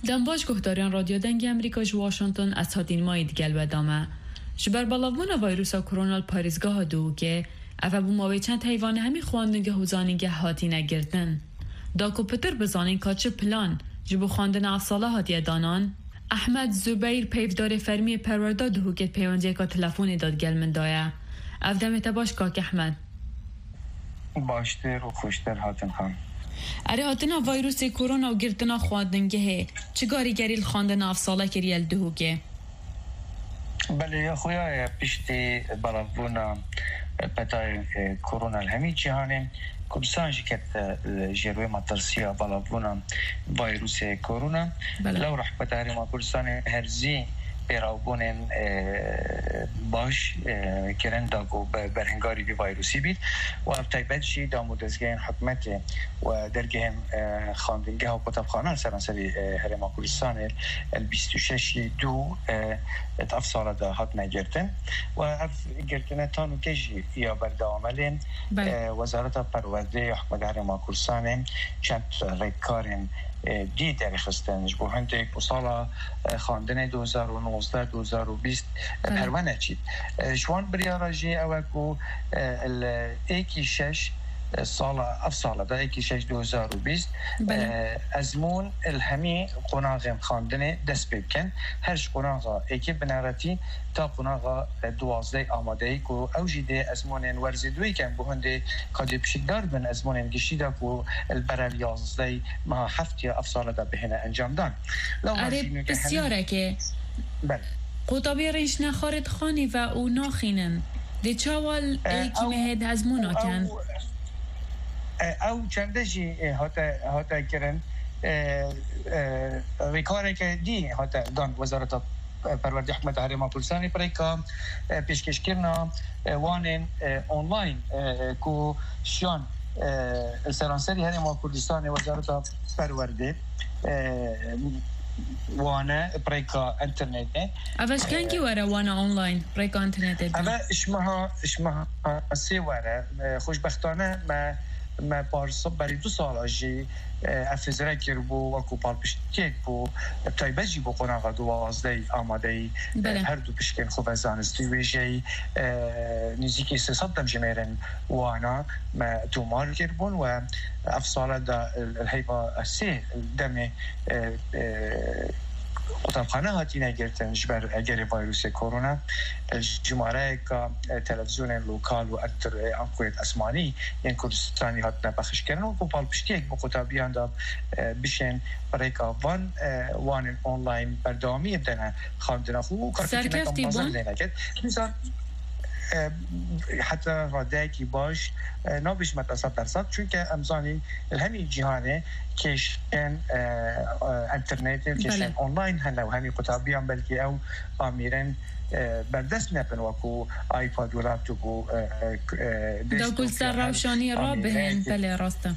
Dem baş guhdarên Radyo Dengê Amerîka ji Washington, ez Hatîn Mayî digel we dame. Ji ber belavbûna vayrusa korona li parêzgeha Duhokê, ev e bû mawê çend heyvane hemî xwendingeh û zanîngeh hatine girtin. Da ku pitir bizanîn ka çi plan ji bo xwendina ev sala hatiye danan, Ehmed Zubeyr, peyvdarê fermî yê perwerda Duhokê, di peywendiyeka telefonê de digel min de ye. Ev demê te baş, kak Ehmed. Baştir û xweştir hatin xan. Erê, hatina vayrusê korona û girtina xwendingehê çi karîgerî li xwendina ev sale kiriye li Duhokê? Belê, ya xuya ye, piştî belavbûna petayê, e, korona li hemî cîhanê, Kurdistan jî ket, e, ji wê metirsiya belavbûna vayrusê korona. Belê. Lew rehbeta Herêma Kurdistanê herzî pêrawbûnên, e, baş, e, kirin da ku be-, berhengarî vî vayrusî bît û ev taybet jî dam û dezgehên hikûmetê û dergehên, e, xwendingeha û qutebxana seranserî, e, Herêma Kurdistanê li bîst û şeş ê dû, e, di ev sala de hatine girtin û ev girtine ta nûke jî ya berdewam e. Lê, Belê. e, Wezareta Perwerdeyê ya Hikûmeta Herêma Kurdistanê çend rêkkarên, e, dî derxistin. Ji bo hindek ku sala, e, xwendinê du hezar û nozdeh, du hezar û bîst, e, Belê. perwe neçît. E, ji wan biryara jî ew e ku, e, li êkî şeş, e, sala, ev sala de êkî şeş du hezar û bîst, Belê. e, ezmûn li hemî qonaxên xwendinê dest pê bikin. Her ji qonaxa êkê bineretî ta qonaxa, e, duwazdeh amadeyî ku ew jî dê ezmûnên werzê duyê ken bo hindê ka dê pişikdar bin ezmûnên giştî de ku li berel yazdeh meha heft ya ev sala de bihêne encamdan. Lewma Erê, jî nûke hene- pisyareke. Belê. Qutabiyê rêniştine xarê dixanî ve û naxînin. Dê çawa l-, E, êkî ew, mehê de ezmûna ew, ken? E, ew çende jî, e, hate, hate kirin, e, e, rêkareke dî hate dan Wezareta Perwerdê Hikûmeta Herêma Kurdistanê pirêka, e, pêşkêşkirina, e, wanên, e, online, e, ku şiyan, e, li seranserî Herêma Kurdistanê Wezareta Perwerdê, e, wane pirêka internetê. Ev e ji kengî were wana online, pirêka internetê de? Ev e ji meha, ji meha sê were. E, xweşbextane me, me parsa berî du sala jî, e, ev hizre kiribû, wekû palpiştiyek bû, taybet jî bo qonaxa duwazdeh amadeyî, e, Belê. her du pişkên xwe ve zanistî wêjeyî, e, nêzîkî sê sed demjimêrên wana me tomar kiribûn we ev sala de, e, li heyva sê demê, e, e, qutabxane hatine girtin ji ber egerê vayrusê korona. E, jimareyeka, e, televîzyonên lokal û ektir, e, ankurêt esmanî yên Kurdistanî hatine pexişkirin û ku palpiştiyek bi qutabiyan de, e, bişên bi rêka van, e, wanên online berdewamiyê bidene xwendina xwe û karketineka Serkeftî mezin bûn. lê neket. Dîsa, e, heta radeyekî baş, e, nabêjime te sed dersa, çunke em zanîn li hemî cîhanê kêşên, e, e, internetê û kêşên Belê. online hene û hemî qutabiyan belkî ew amîrên, e, berdest nebin, wekû iPad û laptop û, e, e, e, Da desktop ku li ser yan rewşanî amîrên rabihên, ki- belê, rast e.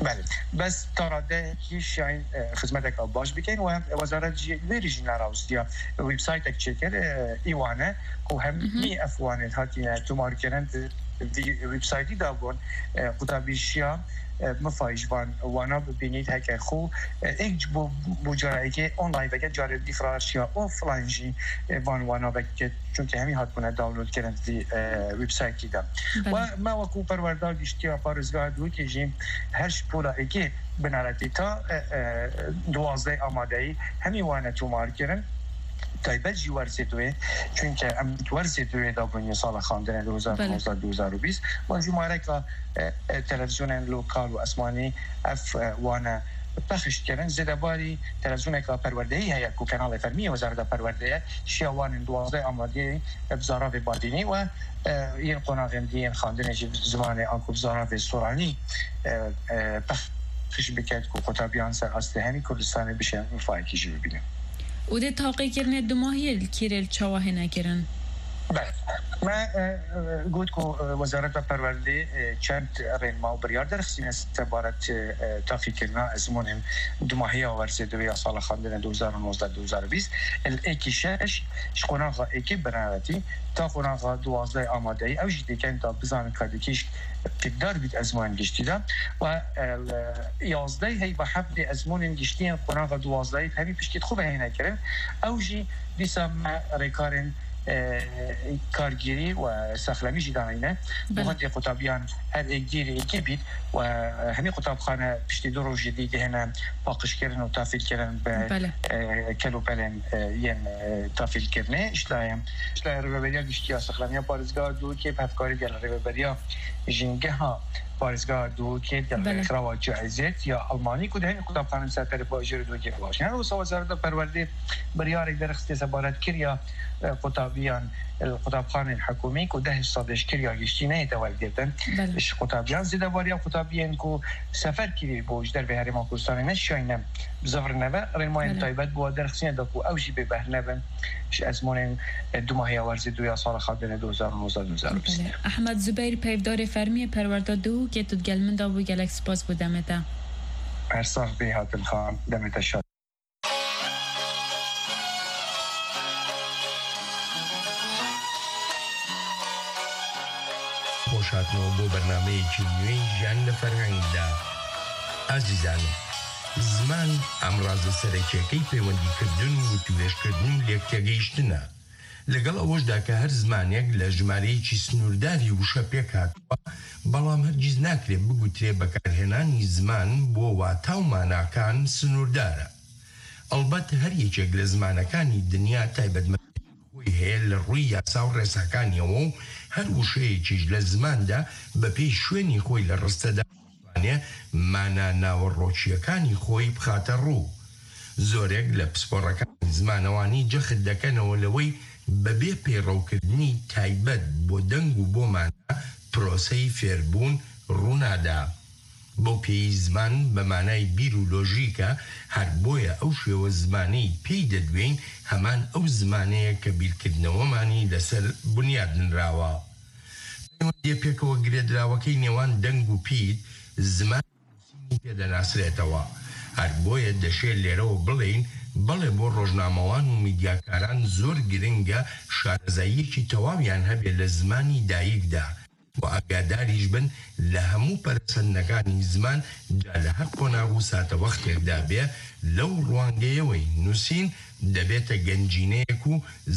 Belê. Bes ta radeyekî şiyayîn, e, xizmeteka baş bikin û em, e, wezaret jî wê rî jî nerawsiya websaytek çêkir, e, î wane ku hemî Mhm. ev wanên hatine tomarkirin di vî websaytî de bûn, e, qutabî şiya, e, mifayî ji van wana bibînît heke xwe, e, êk ji bo, bo cara yekê online veke, carê dî firar şiya offline jî, e, van wana veke, çunke hemî hatbûne download kirin di vî, e, websaytî de. Belê. We me wekû perwerda giştiya parêzgeha Duhokê jî her ji pola êkê bineretî ta, e, e, duwazdeh amadeyî hemî wane tomar kirin. Taybet jî werzê duê, çunke em di werzê duê de bûn yê sala xandinê Belê. du hezar û nozdeh du hezar û bîst. Wan jimareka, e, e, televîzyonên lokal û esmanî ev, e, wane pexişt kirin. Zêdebarî televîzyoneka perwerdeyî heye ku kenalê fermî yê Wezareta Perwerdeyê şiya wanên duwazdeh amadeyî bi zaravê badînî û, e, yên qonaxên dî yên xandinê jî bi zimanê anku bi zaravê soranî, e, e, pexş biket ku qutabiyan ser astê hemî Kurdistanê bişên mifayekî jî bibînin. Û dê taqîkirinê dumahiyê li kîrê li çawa hêne kirin? Belê. Me e, e, got ku e, Wezareta Perwerdê e, çend rênma û biryar derxistîne sebaret e, taqîkirina ezmûnên dumahiya werzê duwê ya sala xwendinê du hezar û nozdeh du hezar û bîst. Li êkî şeş ji qonaxa êkî binawetî ta qonaxa duwazdeh amadeyî. Ew jî dêken da bizanin ka dikî ji qîdar bît ezmûnên giştî de. Û e, li yazdeh heyva heftê ezmûnên giştî yên qonaxa duwazdehî hemî piştî xwe ve hêne kirin. Ew jî dîsa me rêkarên e, kargêrî û sexlemî jî daneyne. Belê. Guhentê qutabiyan her êk dîrê êkî bît û, e, hemî qutabxane piştî du rojê dî dihêne paqijkirin û tafîlkirin bi, Belê. e, kelopelên, e, yên, e, tafîlkirinê. Ji layê, ji layê Rêveberiya Giştî ya Sexlemiya Parêzgeha Duhokê bi hevkarî gel Rêveberiya Jîngeha Parêzgeha Duhokê gel Belê. Rêkxirawa Caizet ya Almanî ku di hemî qutabxanên ser perê bajêr û Duhokê dibaşîne. Her wisa Wezareta Perwerdê biryarek derxistê sebaret kiriya, e, qutabiyan, e, qutabxanên hikûmî ku deh sedê ji kiriya giştî neyête wergirtin. Belê. Ji qutabiyan zêdebariya qutabiyên ku sefer kirî bû ji dervê Herêma Kurdistanê neşiyayne bizivirine ve rênmayên Belê. Taybet bi we derxistine da ku ew jî bê behr nebin ji ezmûnên, e, dumahiya werzê duya sala xwendinê du hezar û nozdeh du hezar û bîst. Belê. Ehmed Zubeyr, peyvdarê fermî yê Perwerda Duhokê, tu digel min de bû, gelek spas bo demê te. Her sax bî Hatim Xan, demê te şad. خۆشهاتنەوە بۆ بەرنامەیەکی نوێی ژیان لە فەرهەنگدا. ئازیزانم، زمان ئامڕازە سەرەکیەکەی پەیوەندیکردن و وتوێژکردن و لێکتێگەیشتنە. لەگەڵ ئەوەشدا کە هەر زمانێک لە ژمارەیەکی سنوورداری وشە پێک هاتووە، بەڵام هەرگیز ناکرێت بگوترێ بەکارهێنانی زمان بۆ واتا و ماناکان سنووردارە. ئەڵبەت هەر یەکێک لە زمانەکانی دنیا تایبەتمەندی خۆی هەیە لە ڕووی یاسا و ڕێساکانیەوە و هەر وشەیەکیش لە زماندا بە پێی شوێنی خۆی لە ڕستەدا دەتوانێ مانا ناوەڕۆکییەکانی خۆی بخاتە ڕوو. زۆرێک لە پسپۆڕەکانی زمانەوانی جەخت دەکەنەوە لەوەی بەبێ پەیڕەوکردنی تایبەت بۆ دەنگ و بۆ مانا پرۆسەی فێربوون ڕوونادا. بەو پێی زمان بە مانای بیر و لۆژیکە، هەر بۆیە ئەو شێوە زمانەی پێی دەدوێین هەمان ئەو زمانەیە کە بیرکردنەوەمانی لەسەر بنیاد نراوە. پەیوەندییە پێکەوە گرێدراوەکەی نێوان دەنگ و پیر، زمان و نووسینی پێ دەناسرێتەوە. هەر بۆیە دەشێ لێرەوە بڵێین بەڵێ بۆ ڕۆژنامەوان و میدیاکاران زۆر گرنگە شارەزاییەکی تەواویان هەبێ لە زمانی دایکدا و ئاگاداریش بن لە هەموو پەرەسەندنەکانی زمان جا لە هەر قۆناغ و ساتەوەختێکدا بێ. لەو ڕوانگەیەوەی نووسین دەبێتە گەنجینەیەک و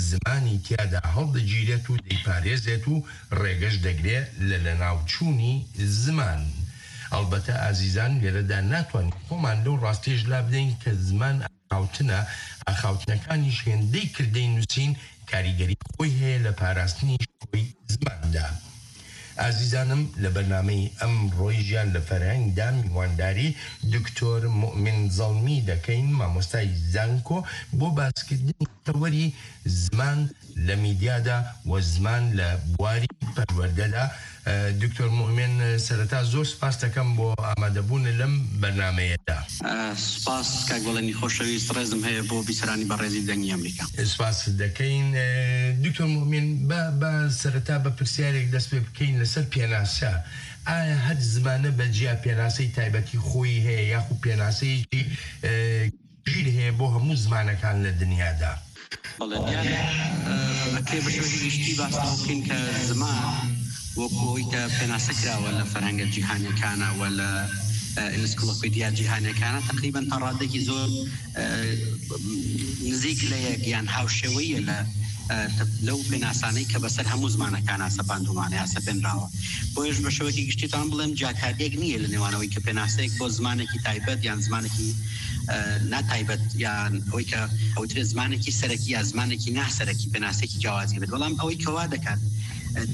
زمانی تیادا هەڵدەگیرێت و دەیپارێزێت و ڕێگەش دەگرێ لە لەناوچوونی زمان. ئەڵبەتە ئازیزان لێرەدا ناتوانین خۆمان لەو ڕاستیەش لابدەین کە زمان ئاخاوتنە، ئاخاوتنەکانیش هێندەی کردەی نووسین کاریگەری خۆی هەیە لە پاراستنی شکۆی زماندا. ئازیزانم لە بەرنامەی ئەمڕۆی ژیان لە فەرهەنگدا میوانداری دکتۆر موئمین زەڵمی دەکەین، مامۆستای زانکۆ، بۆ باسکردنی تەوەری زمان لە میدیادا و زمان لە بواری پەروەردەدا. دکتۆر موئمین، سەرەتا زۆر سپاس دەکەم بۆ ئامادەبوون لەم بەرنامەیەدا. سپاس کاک بەڵێنی خۆشەویست، ڕێزم هەیە بۆ بیسەرانی بەڕێزی دەنگی ئەمریکا. سپاس دەکەین. دکتۆر موئمین، بە بە سەرەتا بە پرسیارێک دەست پێ بکەین لەسەر پێناسە. ئایا هەر زمانە بە جیا پێناسەی تایبەتی خۆی هەیە یاخود پێناسەیەکی گشتگیر هەیە بۆ هەموو زمانەکان لە دنیادا؟ بەڵێ دیارە، ئەکرێ بە شێوەیەکی گشتی باس لەوە بکەین کە زمان وەکو ئەوەی کە پێناسە کراوە لە فەرهەنگە جیهانیەکانە و لە ئینسکلۆپیدیا جیهانیەکانە تەقریبەن تا ڕادێکی زۆر نزیک لە یەک یان هاوشێوەیە لە لەو پێناسانەی کە بەسەر هەموو زمانەکانە سەپاندومانە یا سەپێنراوە. بۆیەش بە شێوەیەکی گشتیتان بڵێم جیاکاریەک نییە لە نێوانەوەی کە پێناسەیەک بۆ زمانێکی تایبەت یان زمانێکی ناتایبەت یان ئەوەی کە ئەوترێ زمانێکی سەرەکی یا زمانێکی ناسەرەکی پێناسێکی جیاوازی بێت. بەڵام ئەوەی کەوا دەکات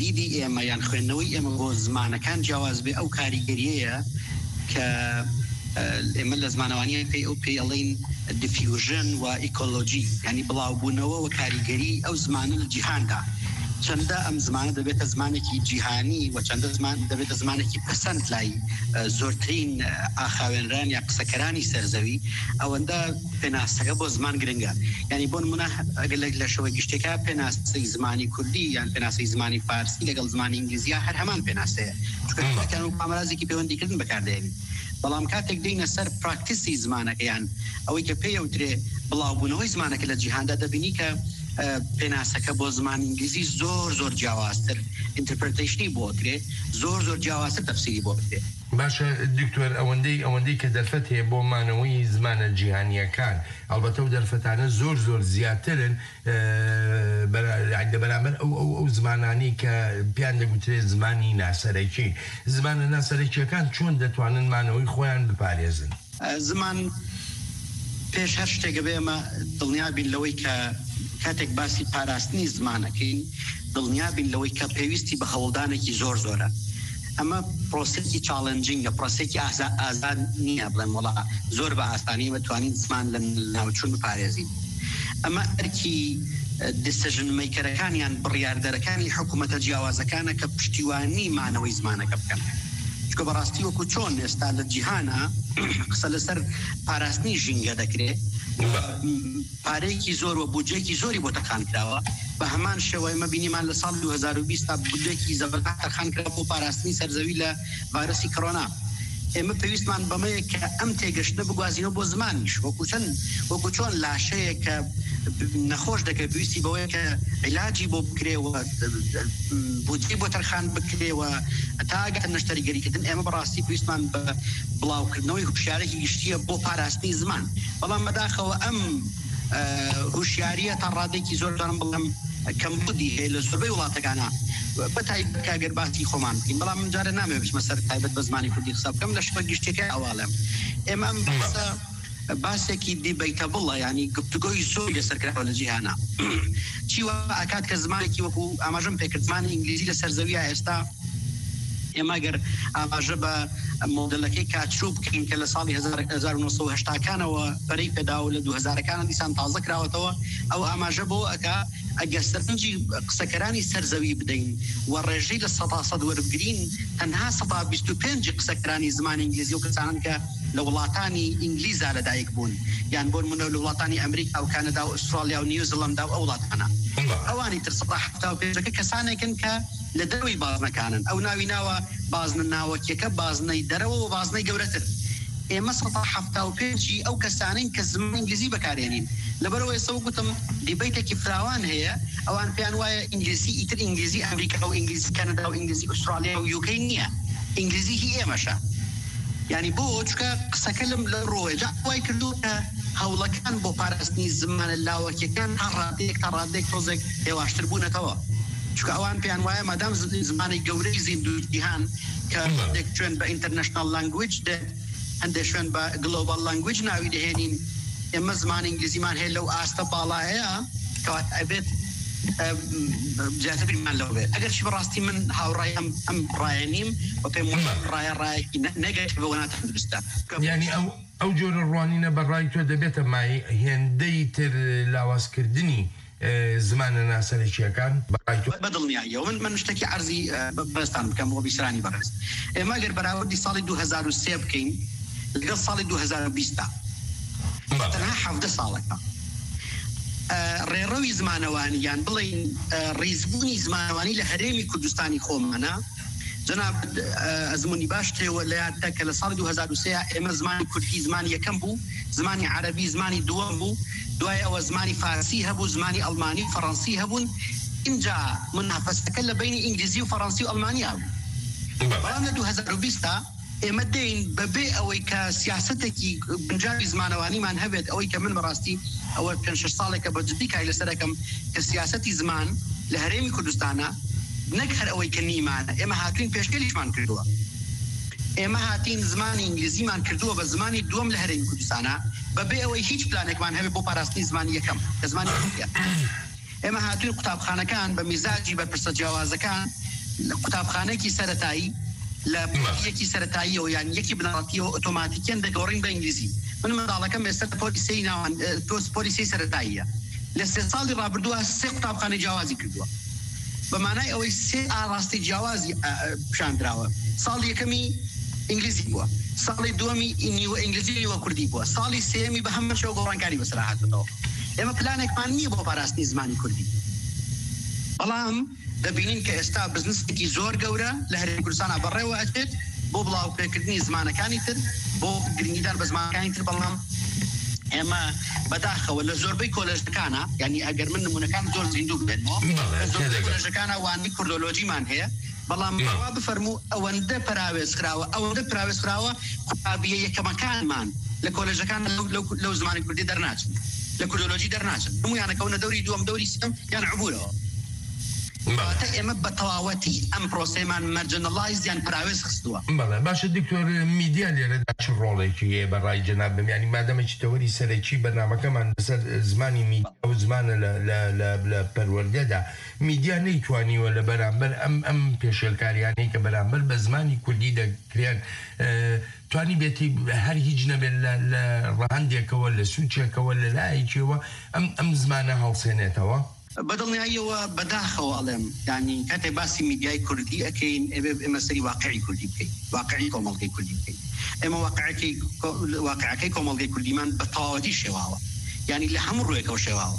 دیدی ئێمە یان خوێندنەوەی ئێمە بۆ زمانەکان جیاواز بێ ئەو کاریگەریەیە کە ئێمە لە زمانەوانیە پێی ئەو پێی ئەڵین دیفیوژن و ئیکۆلۆژی، یعنی بڵاوبوونەوە و کاریگەری ئەو زمانە لە جیهاندا. چەندە ئەم زمانە دەبێتە زمانێکی جیهانی و چەندە زمان دەبێتە زمانێکی پەسەند لای، ئە، زۆرترین، ئە، ئاخاوێنران یا قسەکەرانی سەرزەوی، ئەوەندە پێناسەکە بۆ زمان گرنگە. یعنی، بۆ نمونە، ئەگەر لە، لە شێوەی گشتیەکە پێناسەی زمانی کوردی یان پێناسەی زمانی فارسی لەگەڵ زمانی ئینگلیزیە هەر هەمان پێناسەیە، چونکە هەموو ئامرازێکی پەیوەندیکردن بەکاردێنین. بەڵام کاتێک دێینە سەر پراکتیسی زمانەکە، یان ئەوەی کە پێی ئەوترێ بڵاوبوونەوەی زمانەکە لە جیهاندا، دەبینی کە، ئە، پێناسەکە بۆ زمانی ئینگلیزی زۆر، زۆر جیاوازتر، ئینتەرپرێتەیشنی بۆ کرێ، زۆر، زۆر جیاوازتر تەفسیری بۆ کرێ. باشە دکتۆر، ئەوەندەی، ئەوەندەی کە دەرفەت هەیە بۆ مانەوەی زمانە جیهانیەکان، ئەڵبەتە ئەو دەرفەتانە زۆر، زۆر زیاترن، ئە، بەرا-، لە بەرامبەر ئەو، ئەو، ئەو زمانانی کە پێیان دەگوترێت زمانی ناسەرەکی. زمانە ناسەرەکیەکان چۆن دەتوانن مانەوەی خۆیان بپارێزن؟ ئە، زمان پێش هەر شتێک بێ ئەمە دڵنیا بین لەوەی کە کاتێک باسی پاراستنی زمانەکەین، دڵنیا بین لەوەی کە پێویستی بە هەوڵدانێکی زۆر زۆرە. ئەمە پرۆسێکی چاڵنجینگە، پرۆسێکی ئازا-، ئازاد نییە، بڵێم وڵا زۆر بە ئاسانی ئێمە توانین زمان لە ناوچوون بپارێزین. ئەمە ئەرکی، ئە، دیسیژن مەیکەرەکان یان بڕیاردەرەکانی حکوومەتە جیاوازەکانە کە پشتیوانی مانەوەی زمانەکە بکەن. چونکە بەڕاستی وەکو چۆن ئێستا لە جیهانە قسە لەسەر پاراستنی ژینگە دەکرێ، پارەیەکی زۆر و بودجەیەکی زۆری بۆ تەرخان کراوە. بە هەمان شێوە ئێمە بینیمان لە ساڵی دوو هەزار و بیست تا بودجەیەکی زەبەرتان تەرخان کرا بۆ پاراستنی سەرزەوی لە ڤایرۆسی کۆرۆنا. ئێمە پێویستمان بەمەیە کە ئەم تێگەشتنە بگوازینەوە بۆ زمانیش، وەکو چەند، وەکو چۆن لاشەیە کە نەخۆش دەکرێت، پێویستی بەوەیە کە عیلاجی بۆ بکرێ و بودجەی بۆ تەرخان بکرێ و تا ئەگاتە نەشتەریگەریکردن. ئێمە بەڕاستی پێویستمان بە بڵاوکردنەوەی هوشیارێکی گشتیە بۆ پاراستنی زمان. بەڵام بەداخەوە ئەم، ئە، هوشیاریە تا ڕادێکی زۆر، دارم بڵێم، کەمبودی هەیە لە زۆربەی وڵاتەکانە، بە تایبەت کە گەر باسی خۆمان بکەین. بەڵام من جارێ نامێ بچمە سەر تایبەت بە زمانی کوردی قسە بکەم، لە شوە گشتەکە ئەواڵێم. ئێمە ئەم باسە باسێکی دیبەیتەبڵە، یعنی گفتوگۆی زۆری لەسەر کراوە لە جیهانا. چی وا ئەکات کە زمانێکی وەکو ئاماژەم پێکرد، زمانی ئینگلیزی لە سەرزەویە ئێستا، ئێمە گەر ئاماژە بە مۆدلەکەی کاتچوو بکەین کە لە ساڵی هەزار، هەزار و نۆ سەد و هەشتاکانەوە پەرەی پێداوە، لە دوو هەزارەکانە دیسان تازە کراوەتەوە، ئەو ئاماژە بۆ ئەکا ئەگەر سەرنجی قسەکەرانی سەرزەوی بدەین و ڕێژەی لە سەدا سەد وەربگرین، تەنها سەدا بیست و پێنج قسەکەرانی زمانی ئینگلیزی و کەسانن کە لە وڵاتانی ئینگلیزا لەدایک بوون، یان بۆ نمونە لە وڵاتانی ئەمریکا و کانادا و ئوسترالیا و نیوزیلەندا و ئەو وڵاتانە. ئەوانی تر سەدا حەفتا و پێنجەکە کەسانێکن کە لە دەروی بازنەکانن. ئەو ناوی ناوە بازنە ناوەکیەکە، بازنەی دەرەوە و بازنەی گەورەتر. ئێمە سەدا حەفتا و پێنجی ئەو کەسانین کە زمانی ئینگلیزی بەکارێنین. لەبەرەوە ئێستا وەک گوتم، دیبەیتێکی فراوان هەیە. ئەوان پێیان وایە ئینگلیزی ئیتر ئینگلیزی ئەمریکا و ئینگلیزی کەنەدا و ئینگلیزی ئوسترالیا و یوکەی نییە. ئینگلیزی هی ئێمەشە. یعنی بۆ چکە قسەکە لەم لە ڕۆێجا وای کردو کە هەوڵەکان بۆ پاراستنی زمانە لاوەکیەکان هەر ڕادێک تا ڕادێک تۆزێک هێواشتر بوونەتەوە. چکە ئەوان پێیان وایە مادام ز-، زمانی گەورەی زیندوو جیهان کە ڕادێک چێن بە international language دێت، هەندێک شوێن بە global language ناوی دەهێنین. ئێمە زمانی ئینگلیزیمان هەیە لەو ئاستە باڵایە، کەوات ئەبێت، ئە، زیاتر بیرمان لەوە بێت. ئەگەر چی بەڕاستی من هاوڕای ئەم، ئەم ڕایە نیم و پێم وایە ڕایە، ڕایەکی نە-، نەگەتیڤە و ناتەندروستە. یعنی ئەو، ئەو جۆرە ڕوانینە بەڕای تۆ دەبێتە مای هێندەی تر لاوازکردنی، ئە، زمانە ناسەرەکیەکان بەڕای تۆ؟ بە دڵنیاییەوە. من، من شتێکی عەرزی، ئە، بە-، بەرزتان بکەم بۆ بیسرانی بەڕێز. ئێمە گەر بەراوردی ساڵی دوو هەزار و سێ بکەین لەگەڵ ساڵی دوو هەزار و بیست، تەنها حەڤدە ساڵەکە، ئە، ڕێڕەوی زمانەوانی، یان بڵێن، ئە، ڕیزبوونی زمانەوانی لە هەرێمی کوردستانی خۆمانە. جەناب، ئە، ئەزموونی باش تێوە لە یادتە کە لە ساڵی دوو هەزار و سێ ئێمە زمانی کوردی زمانی یەکەم بوو، زمانی عەرەبی زمانی دووەم بوو، دوای ئەوە زمانی فارسی هەبوو، زمانی ئەڵمانی و فەڕەنسی هەبوون. اینجا منافەسەکە لە بینی ئینگلیزی و فەڕەنسی و ئەڵمانیا بوو. بەڵام لە دوو هەزار و بیست ئێمە دێین بەبێ ئەوەی کە سیاسەتێکی گونجاوی زمانەوانیمان هەبێت، ئەوەی کە من بەڕاستی ئەوە پێنج شەش ساڵێکە بە جدی کاری لەسەر ئەکەم کە سیاسەتی زمان لە هەرێمی کوردستانە، نەک هەر ئەوەی کە نیمانە، ئێمە هاتوین پێشگەلیشمان کردووە. ئێمە هاتین زمانی ئینگلیزیمان کردووە بە زمانی دووەم لە هەرێمی کوردستانە، بەبێ ئەوەی هیچ پلانێکمان هەبێت بۆ پاراستنی زمانی یەکەم، کە زمانی کوردیە. ئێمە هاتووین قوتابخانەکان بە میزاجی بەرپرسە جیاوازەکان، لە قوتابخانەیەکی سەرەتایی، لە پۆلی یەکی سەرەتاییەوە یان یەکی بنەڕەتیەوە ئۆتۆماتیکیان دەگۆڕین بە ئینگلیزی. من منداڵەکەم ئێستا لە پۆلی سێی ناوان-، ئە، پۆس-، پۆلی سێی سەرەتاییە. لە سێ ساڵی ڕابردووە سێ قوتابخانەی جیاوازی کردووە. بە مانای ئەوەی سێ ئاڕاستی جیاوازی پیشاندراوە. ساڵی یەکەمی ئینگلیزی بووە، ساڵی دووەمی نیوە ئینگلیزی نیوە کوردی بووە، ساڵی سێمی بە هەمە شێوە گۆڕانکاری بەسەر هاتووەتەوە. ئێمە پلانێکمان نییە بۆ پاراستنی زمانی کوردی، بەڵام دەبینین کە ئێستا بزنسێکی زۆر گەورە لە هەرێمی کوردستانە بەڕێوە ئەچێت بۆ بڵاوپێکردنی زمانەکانی تر، بۆ گرنگیدان بە زمانەکانی تر، بەڵام ئێمە بەداخەوە لە زۆربەی کۆلێژەکانە، یعنی ئەگەر من نمونەکان زۆر زیندوو بێنمەوە، لە زۆربەی کۆلێژەکانە وانەی کوردۆلۆژیمان هەیە، بەڵام بڕوا بفەرموو ئەوەندە پەراوێز خراوە، ئەوەندە پەراوێز خراوە، قوتابیە یەکەمەکان مان لە کۆلێژەکان لەو، لەو، لەو زمانی کوردی دەرناچن، لە کوردۆلۆژی دەرناچن، هەموویانەکەونە دەوری دووەم، دەوری سێم یان عبورەوە. بەڵێ. کەواتە ئێمە بە تەواوەتی ئەم پرۆسەیەمان marginalized یان پەراوێز خستووە. بەڵێ، باشە دکتۆر، میدیا لێرەدا چ ڕۆڵێکی هەیە بە ڕای جەنابم؟ یعنی مادەمێکی تەوەری سەرەکی بەرنامەکەمان لەسەر زمانی میدیا و زمانە لە، لە، لە، لە پەروەردەدا. میدیا نەیتوانیوە لە بەرامبەر ئەم، ئەم پێشێلکاریانەی کە بەرامبەر بە زمانی کوردی دەکرێن، ئە، توانی بێتی هەر هیچ نەبێت لە، لە ڕەهەندێکەوە، لە سوچێکەوە، لە لایەکیەوە ئەم، ئەم زمانە هەڵسێنێتەوە. بە دڵنیاییەوە بەداخەوە ئەڵێم، یعنی کاتێ باسی میدیای کوردی ئەکەین، ئەبێ ئێمە سەری واقعی کوردی بکەین، واقعی کۆمەڵگەی کوردی بکەین. ئێمە واقعەکەی کۆ-، واقعەکەی کۆمەڵگەی کوردیمان بە تەواوەتی شێواوە، یعنی لە هەموو ڕوویەکەوە شێواوە،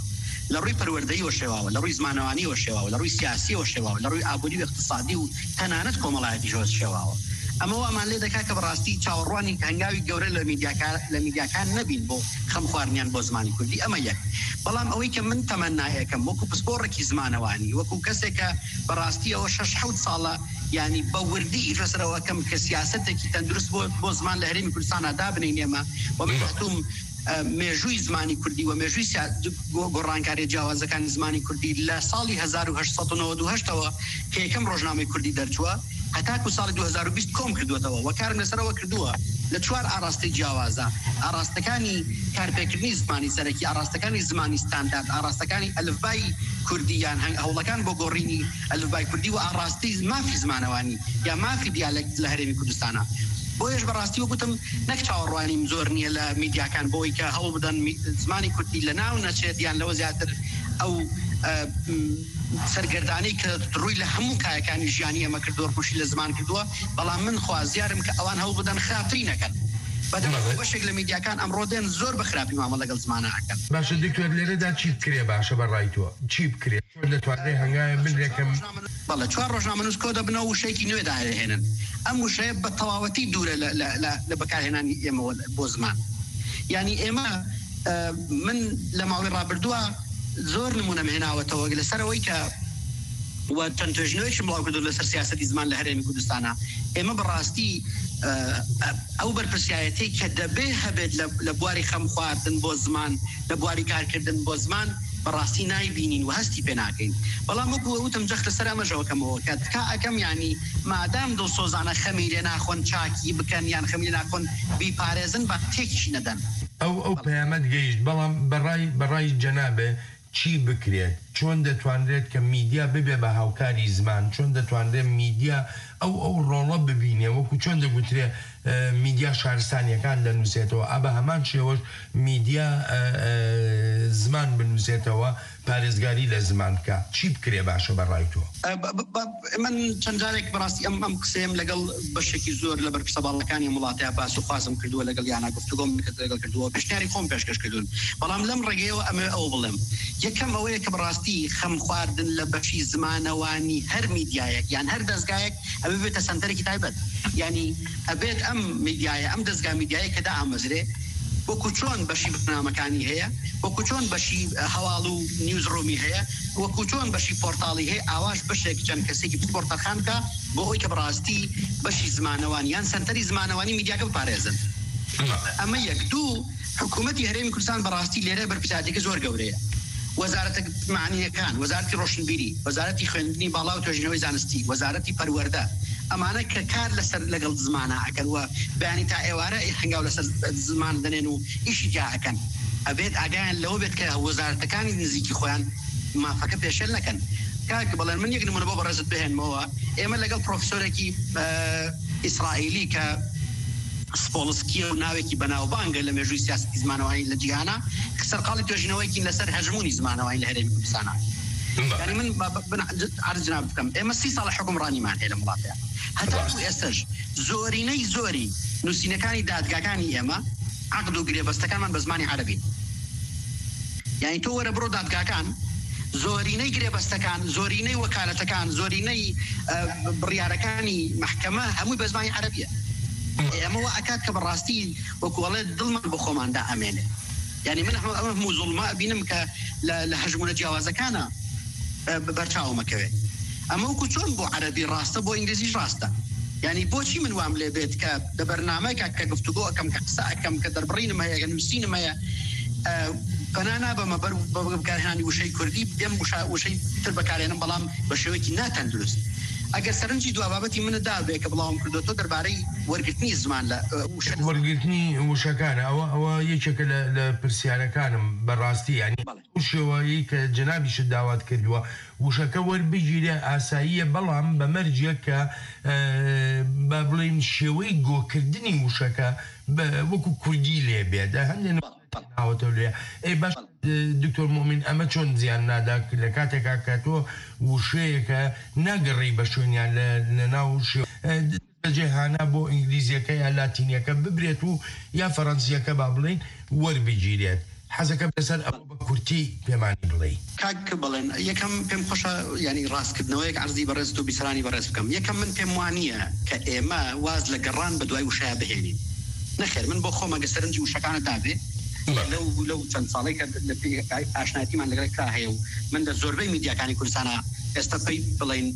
لە ڕووی پەروەردەییەوە شێواوە، لە ڕووی زمانەوانیەوە شێواوە، لە ڕووی سیاسیەوە شێواوە، لە ڕووی ئابووری و اقتصادی و تەنانەت کۆمەڵایەتیشەوە شێواوە. ئەمە وامان لێ دەکا کە بەڕاستی چاوەڕوانی هەنگاوی گەورە لە میدیاکان، لە میدیاکان نەبین بۆ خەمخواردنیان بۆ زمانی کوردی. ئەمە یەک. بەڵام ئەوەی کە من تەمەنایەکەم وەکو پسپۆڕێکی زمانەوانی، وەکو کەسێک کە بەڕاستی ئەوە شەش حەوت ساڵە، یعنی بە وردی ئیش لەسەرەوە ئەکەم کە سیاسەتێکی تەندروست بۆ، بۆ زمان لە هەرێمی کوردستانە دابنێینێمە و من هاتووم، ئە، مێژووی زمانی کوردی و مێژووی سیا-، گۆ-، گۆڕانکاریە جیاوازەکانی زمانی کوردی لە ساڵی هەزار و هەشت سەد و نەوەد و هەشتەوە کە یەکەم ڕۆژنامەی کوردی دەرچووە، هەتاکو ساڵی دوو هەزار و بیست کۆم کردووەتەوە و کارم لەسەرەوە کردووە لە چوار ئاڕاستەی جیاوازە. ئاڕاستەکانی کارپێکردنی زمانی سەرەکی، ئاڕاستەکانی زمانی ستاندارد، ئاڕاستەکانی ئەلفبای کوردی یان هەنگ-، هەوڵەکان بۆ گۆڕینی ئەلفبای کوردی و ئاڕاستەی مافی زمانەوانی یا مافی دیالەکت لە هەرێمی کوردستانە. بۆیەش بەڕاستی وەگوتم نەک چاوەڕوانیم زۆر نییە لە میدیاکان بۆی کە هەوڵ بدەن می-، زمانی کوردی لە ناو نەچێت یان لەوە زیاتر ئەو، ئە، م، سەرگەردانەی کە ڕووی لە هەموو کایەکانی ژیانی ئێمە کردووە، ڕووشی لە زمان کردووە، بەڵام من خوازیارم کە ئەوان هەوڵ بدەن خراپتری نەکەن. بەدەم بەڵێ. بەشێک لە میدیاکان ئەمڕۆ دێن زۆر بە خراپی مامەڵە لەگەڵ زمانە ئەکەن. باشە دکتۆر، لێرەدا چی بکرێ باشە بە ڕای تۆ؟ چی بکرێ؟ چۆن دەتوانرێ هەنگاوێ بنرێ کە چوار ڕۆژنامە-، بەڵێ، چوار ڕۆژنامە نووس کۆ دەبنەوە و وشەیەکی نوێ داهێنن. ئەم وشەیە بە تەواوەتی دوورە لە، لە، لە، لە بەکارهێنانی ئێمەوە بۆ زمان. یعنی ئێمە، ئە، من لە ماوەی ڕابردووە زۆر نمونەم هێناوەتەوە لەسەر ئەوەی کە و چەند توێژینەوەیەکشم بڵاو کردو لەسەر سیاسەتی زمان لە هەرێمی کوردستانە. ئێمە بەڕاستی، ئە، ئە، ئەو بەرپرسیارەتەی کە دەبێ هەبێت لە، لە بواری خەم خواردن بۆ زمان، لە بواری کارکردن بۆ زمان، بەڕاستی نایبینین و هەستی پێ ناکەین. بەڵام وەکو وتم، جەخت لەسەر ئەمەشەوە کەمەوە کە تکا ئەکەم، یعنی مادام دڵسۆزانە خەمی لێ ناخۆن چاکی بکەن یان خەمی لێ ناخۆن بیپارێزن، با تێکشی نەدەن. ئەو، ئەو پەیامەت گەیشت، بەڵام بەڕای، بەڕای جەنابێ چی بکرێت؟ چۆن دەتوانرێت کە میدیا ببێ بە هاوکاری زمان؟ چۆن دەتوانرێت میدیا ئەو، ئەو ڕۆڵە ببینێ؟ وەکو چۆن دەگوترێ، ئە، میدیا شارستانیەکان دەنووسێتەوە، ئا بە هەمان شێوەش میدیا، ئە، ئە، زمان بنووسێتەوە، پارێزگاری لە زمان بکە. چی بکرێ باشە بە ڕای تۆ؟ ئە، بە، بە، بە، من چەند جارێک بەڕاستی ئەم، ئەم قسەیەم لەگەڵ بەشێکی زۆر لە بەرپرسە باڵەکانی ئەم وڵاتەیە باس و خوازم کردووە، لەگەڵ یانە گفتوگۆم لەگەڵ کردووە، پێشنیاری خۆم پێشکەش کردوون. بەڵام لەم ڕێگەیەوە ئەمە ئەوە بڵێم، یەکەم ئەوەیە کە بەڕاستی خەم خواردن لە بەشی زمانەوانی هەر میدیایەک یان هەر دەستگایەک ئەبێ بێتە سەنتەرێکی تایبەت. یعنی ئەبێت ئەم میدیایە، ئەم دەستگا میدیایە کە دائامەزرێ، وەکو چۆن بەشی بەرنامەکانی هەیە، وەکو چۆن بەشی هەواڵ و نیوز ڕوومی هەیە، وەکو چۆن بەشی پۆرتاڵی هەیە، ئاواش بەشێک چەند کەسێکی پسپۆر تەرخان بکە بۆ ئەوی کە بەڕاستی بەشی زمانەوانی یان سەنتەری زمانەوانی میدیاکە بپارێزن. ئەمە یەک. دوو، حکوومەتی هەرێمی کوردستان بەڕاستی لێرە بەرپرسیارەتێکی زۆر گەورەیە. وەزارەتە معنیەکان، وەزارەتی ڕۆشنبیری، وەزارەتی خوێندنی باڵا و توێژینەوەی زانستی، وەزارەتی پەروەردە، ئەمانە کە کار لەسەر لەگەڵ زمانە ئەکەن و بەیانی تا ئێوارە هەنگاو لەسەر زمان دەنێن و ئیشی جا ئەکەن، ئەبێت ئاگایان لەوە بێت کە وەزارەتەکانی نزیکی خۆیان مافەکە پێشێل نەکەن. کاک بەڵێن، من یەک نمونە بۆ بەڕێزت بهێنمەوە. ئێمە لەگەڵ پرۆفسۆرێکی، ئە، ئیسرائیلی کە سپۆڵسکیە و ناوێکی بەناوبانگە لە مێژووی سیاسەتی زمانەوانی لە جیهانە، سەرقاڵی توێژینەوەیەکی لەسەر هەژموونی زمانەوانی لە هەرێمی کوردستانە. یعنی من بە- بە- بن عرض جناب بکەم، ئێمە سی ساڵە حکمڕانیمان هەیە لە وڵاتەیە، هەتاکو ئێستەش زۆرینەی زۆری نووسینەکانی دادگاکانی ئێمە عەقد و گرێبەستەکانمان بە زمانی عەرەبین. یعنی تۆ وەرە بڕۆ دادگاکان، زۆرینەی گرێبەستەکان، زۆرینەی وەکالەتەکان، زۆرینەی ئە، بڕیارەکانی مەحکەمە هەمووی بە زمانی عەرەبیە. ئێمە وە ئەکات کە بەڕاستی وەکو ئەڵێ دڵمان بۆ خۆماندا ئەمێنێ. یعنی من ئەمە ئەمە هەموو زوڵمە ئەبینم کە لە لە هەژمونە جیاوازەکانە بەرچاومەکەوێت. ئەمە وەکو چۆن بۆ عەرەبی ڕاستە، بۆ ئینگلیزیش ڕاستە؟ یعنی بۆچی من وام لێ بێت کە لە بەرنامەیەکە کە گفتوگۆ ئەەکەم، کە قسە ئەەکەم، کە دەربڕینم هەیە، کە نووسینم هەیە، پەنا نابەمە بەر بەکارهێنانی وشەی کوردی، دێم وشە وشەی تر بەکارێنم، بەڵام بە شێوەیەکی ناتەندروست. ئەگەر سەرنجی دوا بابەتی منت دابێ کە بڵاوم کردووە تۆ دەربارەی وەرگرتنی زمان لە وشە وەرگرتنی وشەکانە، ئەوە ئەوە یەکێکە لە لە پرسیارەکانم بەڕاستی، یعنی بەڵێ. ئەو شێوەیەی کە جەنابیشت داوات کردووە وشەکە وەربگیرێ ئاساییە، بەڵام بە مەرجێک کە با بڵێن شێوەی گۆکردنی وشەکە وەکو کوردی لێ بێت. هەندێک ناوەتەوە لێ ئەی باش دکتۆر مۆمین، ئەمە چۆن زیان نادا لە کاتێکا کە تۆ وشەیەکە ناگەڕی بە شوێنیان لە لە ناو شێ جێهانا بۆ ئینگلیزیەکە یا لاتینیەکە ببرێت و یا فەڕەنسیەکە با بڵێن وەربگیرێت؟ حەزەکەم لەسەر ئەوە بە کورتی پێمانی بڵێ. کاک بڵێن، یەکەم پێم خۆشە، یعنی ڕاستکردنەوەیەک عەرزی بەڕێز و بیسەرانی بەڕێز بکەم. یەکەم من پێم وانییە کە ئێمە واز لە گەڕان بە دوای وشەیە بهێنین. نەخێر، من بۆ خۆم ئەگە سەرنجی وشەکانە دابێ لەو لەو چەند ساڵی کە ئاشنایەتیمان لەگەڵ کرا هەیە و من لە زۆربەی میدیاکانی کوردستانە ئێستا پێی بڵین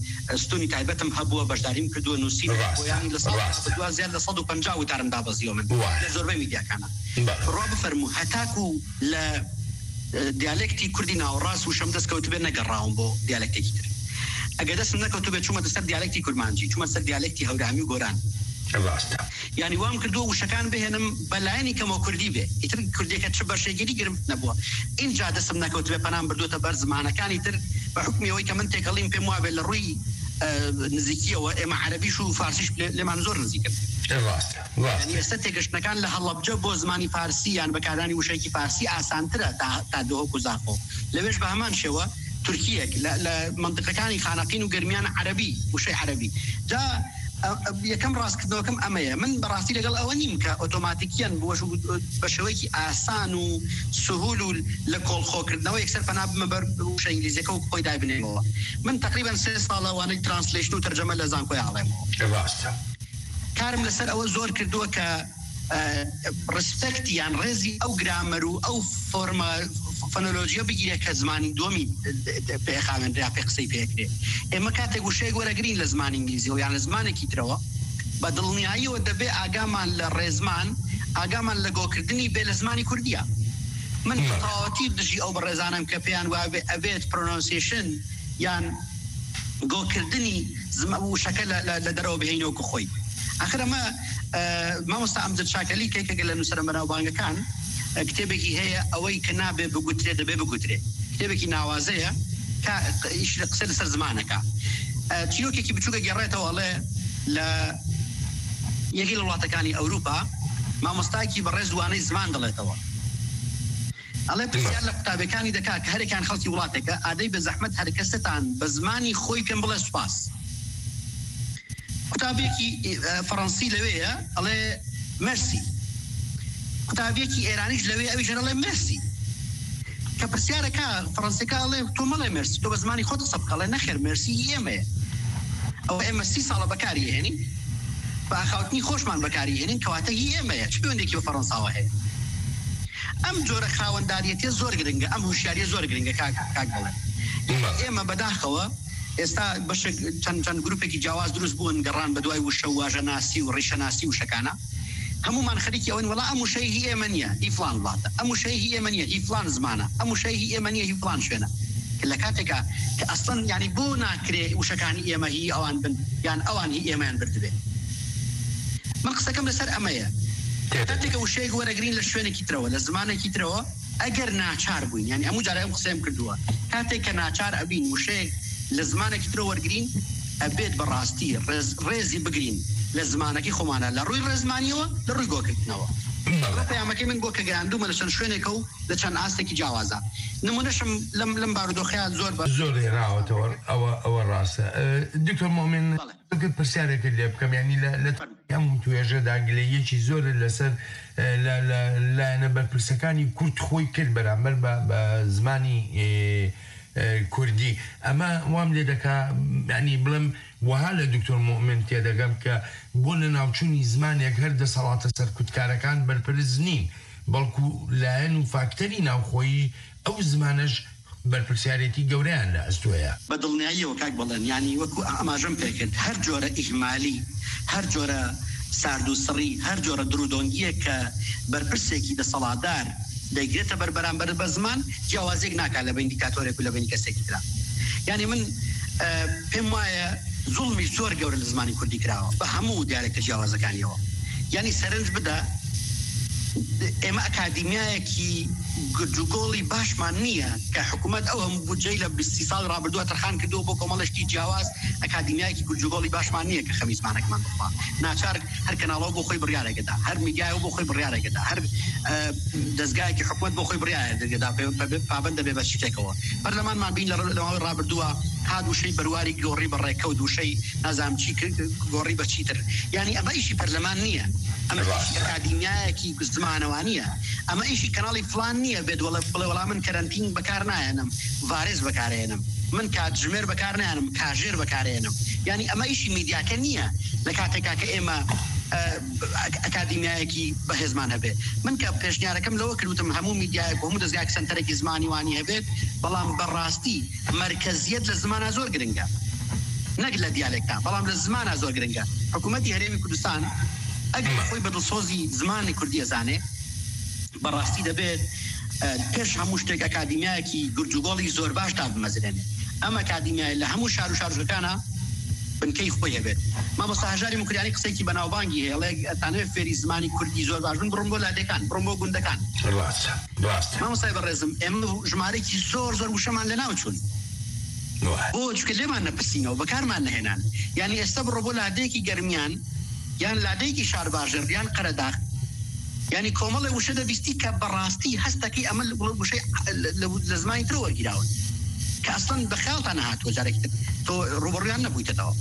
ستونی تایبەتم هەبووە، بەشداریم کردووە، نووسین بۆیانی لە ساڵ دوازدە زیاد لە سەد و پەنجا وتارم دابەزیەوە من لە زۆربەی میدیاکانە. بڕوا بفەرموو هەتاکو لە دیالێکتی کوردی ناوەڕاست وشەم دەستکەوتبێ نەگەڕاوم بۆ دیالێکتێکی تر. ئەگەر دەستم نەکەوتبێ چوومە سەر دیالێکتی کورمانجی، چوومە سەر دیالێکتی هەورامی و گۆران. ڕاستە. یعنی وام کردووە وشەکان بهێنم بە لایەنی کەمەوە کوردی بێ، ئیتر کوردیەکە چ بەشێکی دیگرم نەبووە. اینجا دەستم نەکەوتبێ پەنام بردووەتە بەر زمانەکانی تر، بە حکمی ئەوەی کە من تێکەڵیم پێم وابێت لە ڕووی نزیکیەوە ئێمە عەرەبیش و فارسیش لێمان زۆر نزیکن. ڕاستە. ئێستا تێگەشتنەکان لە هەڵەبجە بۆ زمانی فارسی یان بەکارانی وشەیەکی فارسی ئاسانترە تا دهۆک و زاخۆ. لەوێش بە هەمان شێوە تورکیەک لە منتقەکانی خانەقین و گەرمیان عەرەبی، وشەی عەرەبی. جا یەکەم ڕاستکردنەوەکەم ئەمەیە. من بەڕاستی لەگەڵ ئەوە نیم کە ئۆتۆماتیکیان بە شێوەیەکی ئاسان و سهول و لە کۆڵخۆکردنەوە یەکسەر پەنا بمە بەر وشە ئینگلیزیەکە و خۆی دایبنێمەوە. من تقریبا سێ ساڵە وانەی ترانسلیشن و تەرجەمە لە زانکۆی ئاڵێمەوە. ڕاستە. کارم لەسەر ئەوە زۆر کردووە کە ڕسپێکتی یان ڕێزی ئەو گرامەر و ئەو فۆرمە فۆنۆلۆژیە بگیرێت کە زمانی دووەمی پێخاوێنرا، پێ قسەی پێکرێت. ئێمە کاتێک وشەیەک وەرەگرین لە زمانی ئینگلیزیەوە یان لە زمانێکی ترەوە، بە دڵنیاییەوە دەبێ ئاگامان لە ڕێزمان، ئاگامان لە گۆکردنی بێ لە زمانی کوردیە. من بە تەواوەتی دژی ئەو بەڕێزانەم کە پێیان وابێ ئەبێت پرۆنانسیشن یان گۆکردنی زم وشەکە لە لە لە دەرەوە بهێنەوە کە خۆی. ئەخر ئەمە مامۆستا ئەمجەد شاکەلی کە یەکێکە لە نووسەرە بەناوبانگەکان، کتێبێکی هەیە، ئەوەی کە نابێ بگوترێ دەبێ بگوترێ. کتێبێکی ناوازەیە کە ئیش لە قسە لەسەر زمانەکە. چیرۆکێکی بچووکە گێڕێتەوە، ئەڵێ لە یەکێک لە وڵاتەکانی ئەوروپا مامۆستایەکی بەڕێز وانەی زمان دەڵێتەوە. ئەڵێ پرسیار لە قوتابیەکانی دەکا کە هەرێکان خەڵکی وڵاتێکە، ئادەی بە زەحمەت هەر کەستان بە زمانی خۆی پێم بڵێ سوپاس. قوتابیەکی فەڕەنسی لەوێیە ئەڵێ مەرسی. قوتابیەکی ئێرانیش لەوێ ئەویش ئەڵێ مەرسی. کە پرسیارەکە فەڕەنسیەکە ئەڵێ تۆ مەڵێ مەرسی، تۆ بە زمانی خۆت قسە بکە. ئەڵێ نەخێر، مەرسی هی ئێمەیە. ئەوە ئێمە سی ساڵە بەکاری هێنین، بە ئاخاوتنی خۆشمان بەکاری هێنین، کەواتە هی ئێمەیە، چ پەیوەندێکی بە فەڕەنساوە هەیە؟ ئەم جۆرە خاوەنداریەتیە زۆر گرنگە، ئەم هوشیاریە زۆر گرنگە کاک کاک بەڵێن. ئێمە بەداخەوە ئێستا بەشێک چەند چەند گروپێکی جیاواز دروست بوون، گەڕان بە دوای وشە و واژەناسی و ڕیشەناسی و شەکانە. هەمومان خەریکی ئەوەن وەڵا ئەم وشەی هی ئێمە نییە، هی فلان وڵاتە، ئەم وشەی هی ئێمە نییە، هی فلان زمانە، ئەم وشەی هی ئێمە نییە، هی فلان شوێنە. کە لە کاتێکا کە ئەسڵەن یعنی بۆ ناکرێ وشەکانی ئێمە هی ئەوان بن یان ئەوان هی ئێمەیان بردبێ؟ من قسەکەم لەسەر ئەمەیە. کاتێکە وشەیەک وەرەگرین لە شوێنێکی ترەوە، لە زمانێکی ترەوە، ئەگەر ناچار بووین، یعنی هەموو جارە ئەم قسەیەم کردووە، کاتێک کە ناچار ئەبین وشەیەک لە زمانێکی ترەوە وەرگرین، ئەبێت بەڕاستی ڕێز ڕێزی بگرین لە زمانەکەی خۆمانە، لە ڕووی ڕێزمانیەوە، لە ڕووی گۆکردنەوە. ئەوە پەیامەکەی من بۆ کە گەیاندوومە لە چەند شوێنێکە و لە چەند ئاستێکی جیاوازە. نمونەشم لەم، لەم بارودۆخەیە زۆر بە زۆر هێناوەتەوە. ئەوە، ئەوە ڕاستە. ئە، دکتۆر مۆمن، بەڵێ. ئەگەر پرسیارێکت لێ بکەم، یعنی لە، لە فەرمو. هەموو توێژەدا گلەییەکی زۆر لەسەر، ئە، لە، لە لایەنە بەرپرسەکانی کورد خۆی کرد بەرامبەر بە، بە زمانی، ئێ، ئێ، کوردی. ئەمە وام لێ دەکا، یعنی بڵێم، وەها لە دکتۆر مۆمن تێدەگەم کە بۆ لە ناوچوونی زمانێک هەر دەسەڵاتە سەرکوتکارەکان بەرپرس نین، بەڵکو لایەن و فاکتەری ناوخۆیی ئەو زمانەش بەرپرسیارێتی گەورەیان لە ئەستۆیە. بە دڵنیاییەوە کاک بەڵێن، یعنی وەکو ئاماژەم پێکرد، هەر جۆرە ئیهمالی، هەر جۆرە سارد و سڕی، هەر جۆرە درودۆنگیە کە بەرپرسێکی دەسەڵاتدار دەیگرێتە بەر بەرامبەر بە زمان، جیاوازیەک ناکات لە بین دیکتاتۆرێک و لە بین کەسێکی ترا. یعنی من، ئە، پێم وایە زوڵمی زۆر گەورە لە زمانی کوردی کراوە بە هەموو دیالێکتە جیاوازەکانیەوە. یعنی سەرنج بدە، ئێمە ئەکادیمیایەکی گرجوگۆڵی باشمان نییە کە حکوومەت ئەو هەموو بودجەی لە بیست ساڵ ڕابردووە تەرخان کردووە بۆ کۆمەڵێکی جیاواز، ئەکادیمیایەکی گرجوگۆڵی باشمان نییە کە خەمی زمانەکەمان بخوا. ناچار هەر کەناڵەوە بۆ خۆی بڕیارێکەدا، هەر میدیایەوە بۆ خۆی بڕیارێکەدا، هەر، ئە، دەستگایەکی حکوومەت بۆ خۆی بڕیارێکەدا، پێ-، پێ-، پابەندە بێ بە شتێکەوە. پەرلەمانمان بین لە ڕ-، لە ماوەی ڕابردووە هات وشەی بەرواری گۆڕی بە ڕێکەوت، وشەی نازام چی ک-، گۆڕی بە چیتر. یعنی ئەمە ئیشی پەرلەمان نییە. ئەمە ئیشی ڕاستە. ئەکادیمیایەکی زمانەوانیە. ئەمە ئیشی کەناڵی فلان نییە بێت وەڵە-، بڵێ وەڵا من کەرەنتین بەکار نایەنم، ڤارێز بەکارێنم. من کاتژمێر بەکار نایەنم، کاژێر بەکارێنم. یعنی ئەمە ئیشی میدیاکە نییە لە کاتێکا کە ئێمە، ئە، ئەک-، ئەکادیمیایەکی بەهێزمان هەبێ. من کە پێشنیارەکەم لەوە کردوتم هەموو میدیایەک و هەموو دەستگایەک سنتەرێکی زمانی وانی هەبێت، بەڵام بەڕاستی مەرکەزیەت لە زمانە زۆر گرنگە. نەک لە دیالێکتا، بەڵام لە زمانە زۆر گرنگە. حکوومەتی هەرێمی کوردستان ئەگەر خۆی بە دڵسۆزی زمانی کوردی ئەزانێ، بەڕاستی دەبێت، ئە، پێش هەموو شتێک ئەکادیمیایەکی گرجوگۆڵی زۆر باش دابمەزرێنێ. ئەم ئەکادیمیایە لە هەموو شار و شارۆچکەکانە بنکەی خۆی هەبێت. مامۆستا هەژاری مکریانی قسەیەکی بەناوبانگی هەیە، ئەڵێ، ئەتانەوێت فێری زمانی کوردی زۆر باش بن، بڕۆن بۆ لادێکان، بڕۆن بۆ گوندەکان. ڕاستە، ڕاستە. مامۆستای بەڕێزم، ئێمە ژمارەیەکی زۆر، زۆر وشەمان لە ناو چوون. وای. بۆ؟ چونکە لێمان نەپرسینەوە، بەکارمان نەهێنان. یعنی ئێستا بڕۆ بۆ لادێکی گەرمیان، یان لادێکی شارباژێر، یان قەرەداغ. یعنی کۆمەڵێ وشە دەبیستی کە بەڕاستی هەستەکەی ئەمە لە، لە وشەی، لە، لە، لە زمانی ترە وەرگیراون. کە ئەسڵەن بە خەیاڵتان نەهاتووە جارێکی تر. تۆ ڕوبەڕویان نەبوویتەتەوە.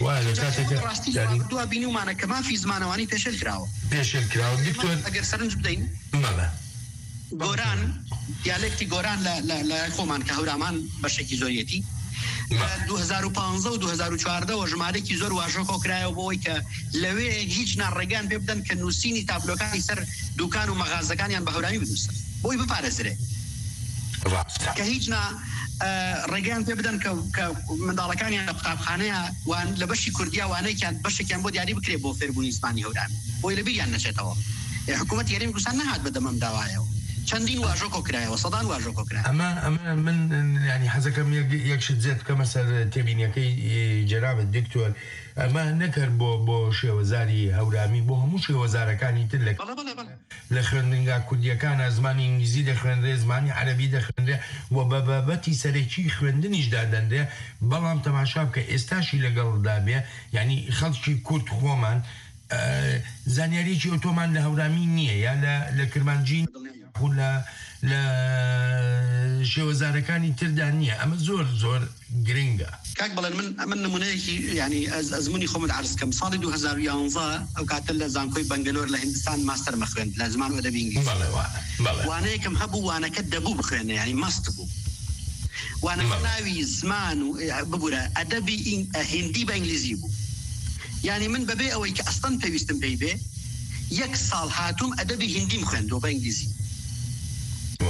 وایە، لە جارێکی کاتێکە بەڕاستی لە یعنی ڕابردووە بینیومانە کە مافی زمانەوانی پێشێل کراوە. پێشێل کراوە. دکتۆر، ئەگەر سەرنج بدەین. بەڵێ. گۆران، دیالێکتی گۆران لە، لە، لە خۆمان کە هەورامان بەشێکی زۆریەتی. بەڵێ. لە دوو هەزار و پازدە و دوو هەزار و چواردە وە ژمارەیەکی زۆر واژۆ کۆکرایەوە بۆ ئەوەی کە لەوێ هیچ ناڕێگەیان پێ بدەن کە نووسینی تابلۆکانی سەر دوکان و مەغازەکانیان بە هەورامی بنووسن. بۆی بپارێزرێ. ڕاستە. کە هیچ نا، ئە، ڕێگەیان پێ بدەن کە، کە منداڵەکانیان لە قوتابخانەیە وان-، لە بەشی کوردیا وانەیەکیان، بەشێکیان بۆ دیاری بکرێ بۆ فێربوونی زمانی هەورامی. بۆی لە بیریان نەچێتەوە. ئێ، حکوومەتی هەرێمی کوردستان نەهات بەدەم ئەم داوایەوە. چەندین واژۆ کۆکرایەوە، سەدان واژۆ کۆکرایەوە. ئەمە، ئەمە من، یعنی، حەزەکەم یەک، یەک شت زێت بکەمە سەر تێبینیەکەی، ئێ، جەنابەت دکتۆر. ئەمە نەکەر بۆ، بۆ شێوەزاری هەورامی، بۆ هەموو شێوەزارەکانی تر لە بەڵێ، بەڵێ، بەڵێ. لە خوێندنگا کوردیەکانە زمانی ئینگلیزی دەخوێنرێ، زمانی عەرەبی دەخوێنرێ و بە بابەتی سەرەکی خوێندنیش دادەنرێ. بەڵام تەماشا بکە، ئێستاشی لەگەڵدا بێ، یعنی خەڵکی کورد خۆمان، ئە، زانیاریەکی ئۆتۆمان لە هەورامی نییە، یا لە، لە کرمانجی، یاخود لە، لە شێوەزارەکانی تردا نییە. ئەمە زۆر، زۆر گرنگە. کاک بەڵێن، من، من نمونەیەکی، یعنی، ئەز-، ئەزموونی خۆمت عەرز کەم. ساڵی دوو هەزار و یانزە ئەو کاتە لە زانکۆی بەنگلۆر لە هیندستان ماستەرمە خوێند لە زمان و ئەدەبی ئینگلیزی. بەڵێ، وا-، بەڵێ. وانەیەکم هەبوو، وانەکە دەبوو بخوێنێ، یعنی مەست بوو. وانەکە بەڵێ. ناوی زمان و، ئێ، ببوورە، ئەدەبی ئین-، ئە، هیندی بە ئینگلیزی بوو. یعنی من بەبێ ئەوەی کە ئەسڵەن پێویستم پێی بێ، یەک ساڵ هاتووم ئەدەبی هیندیم خوێندووە بە ئینگلیزی.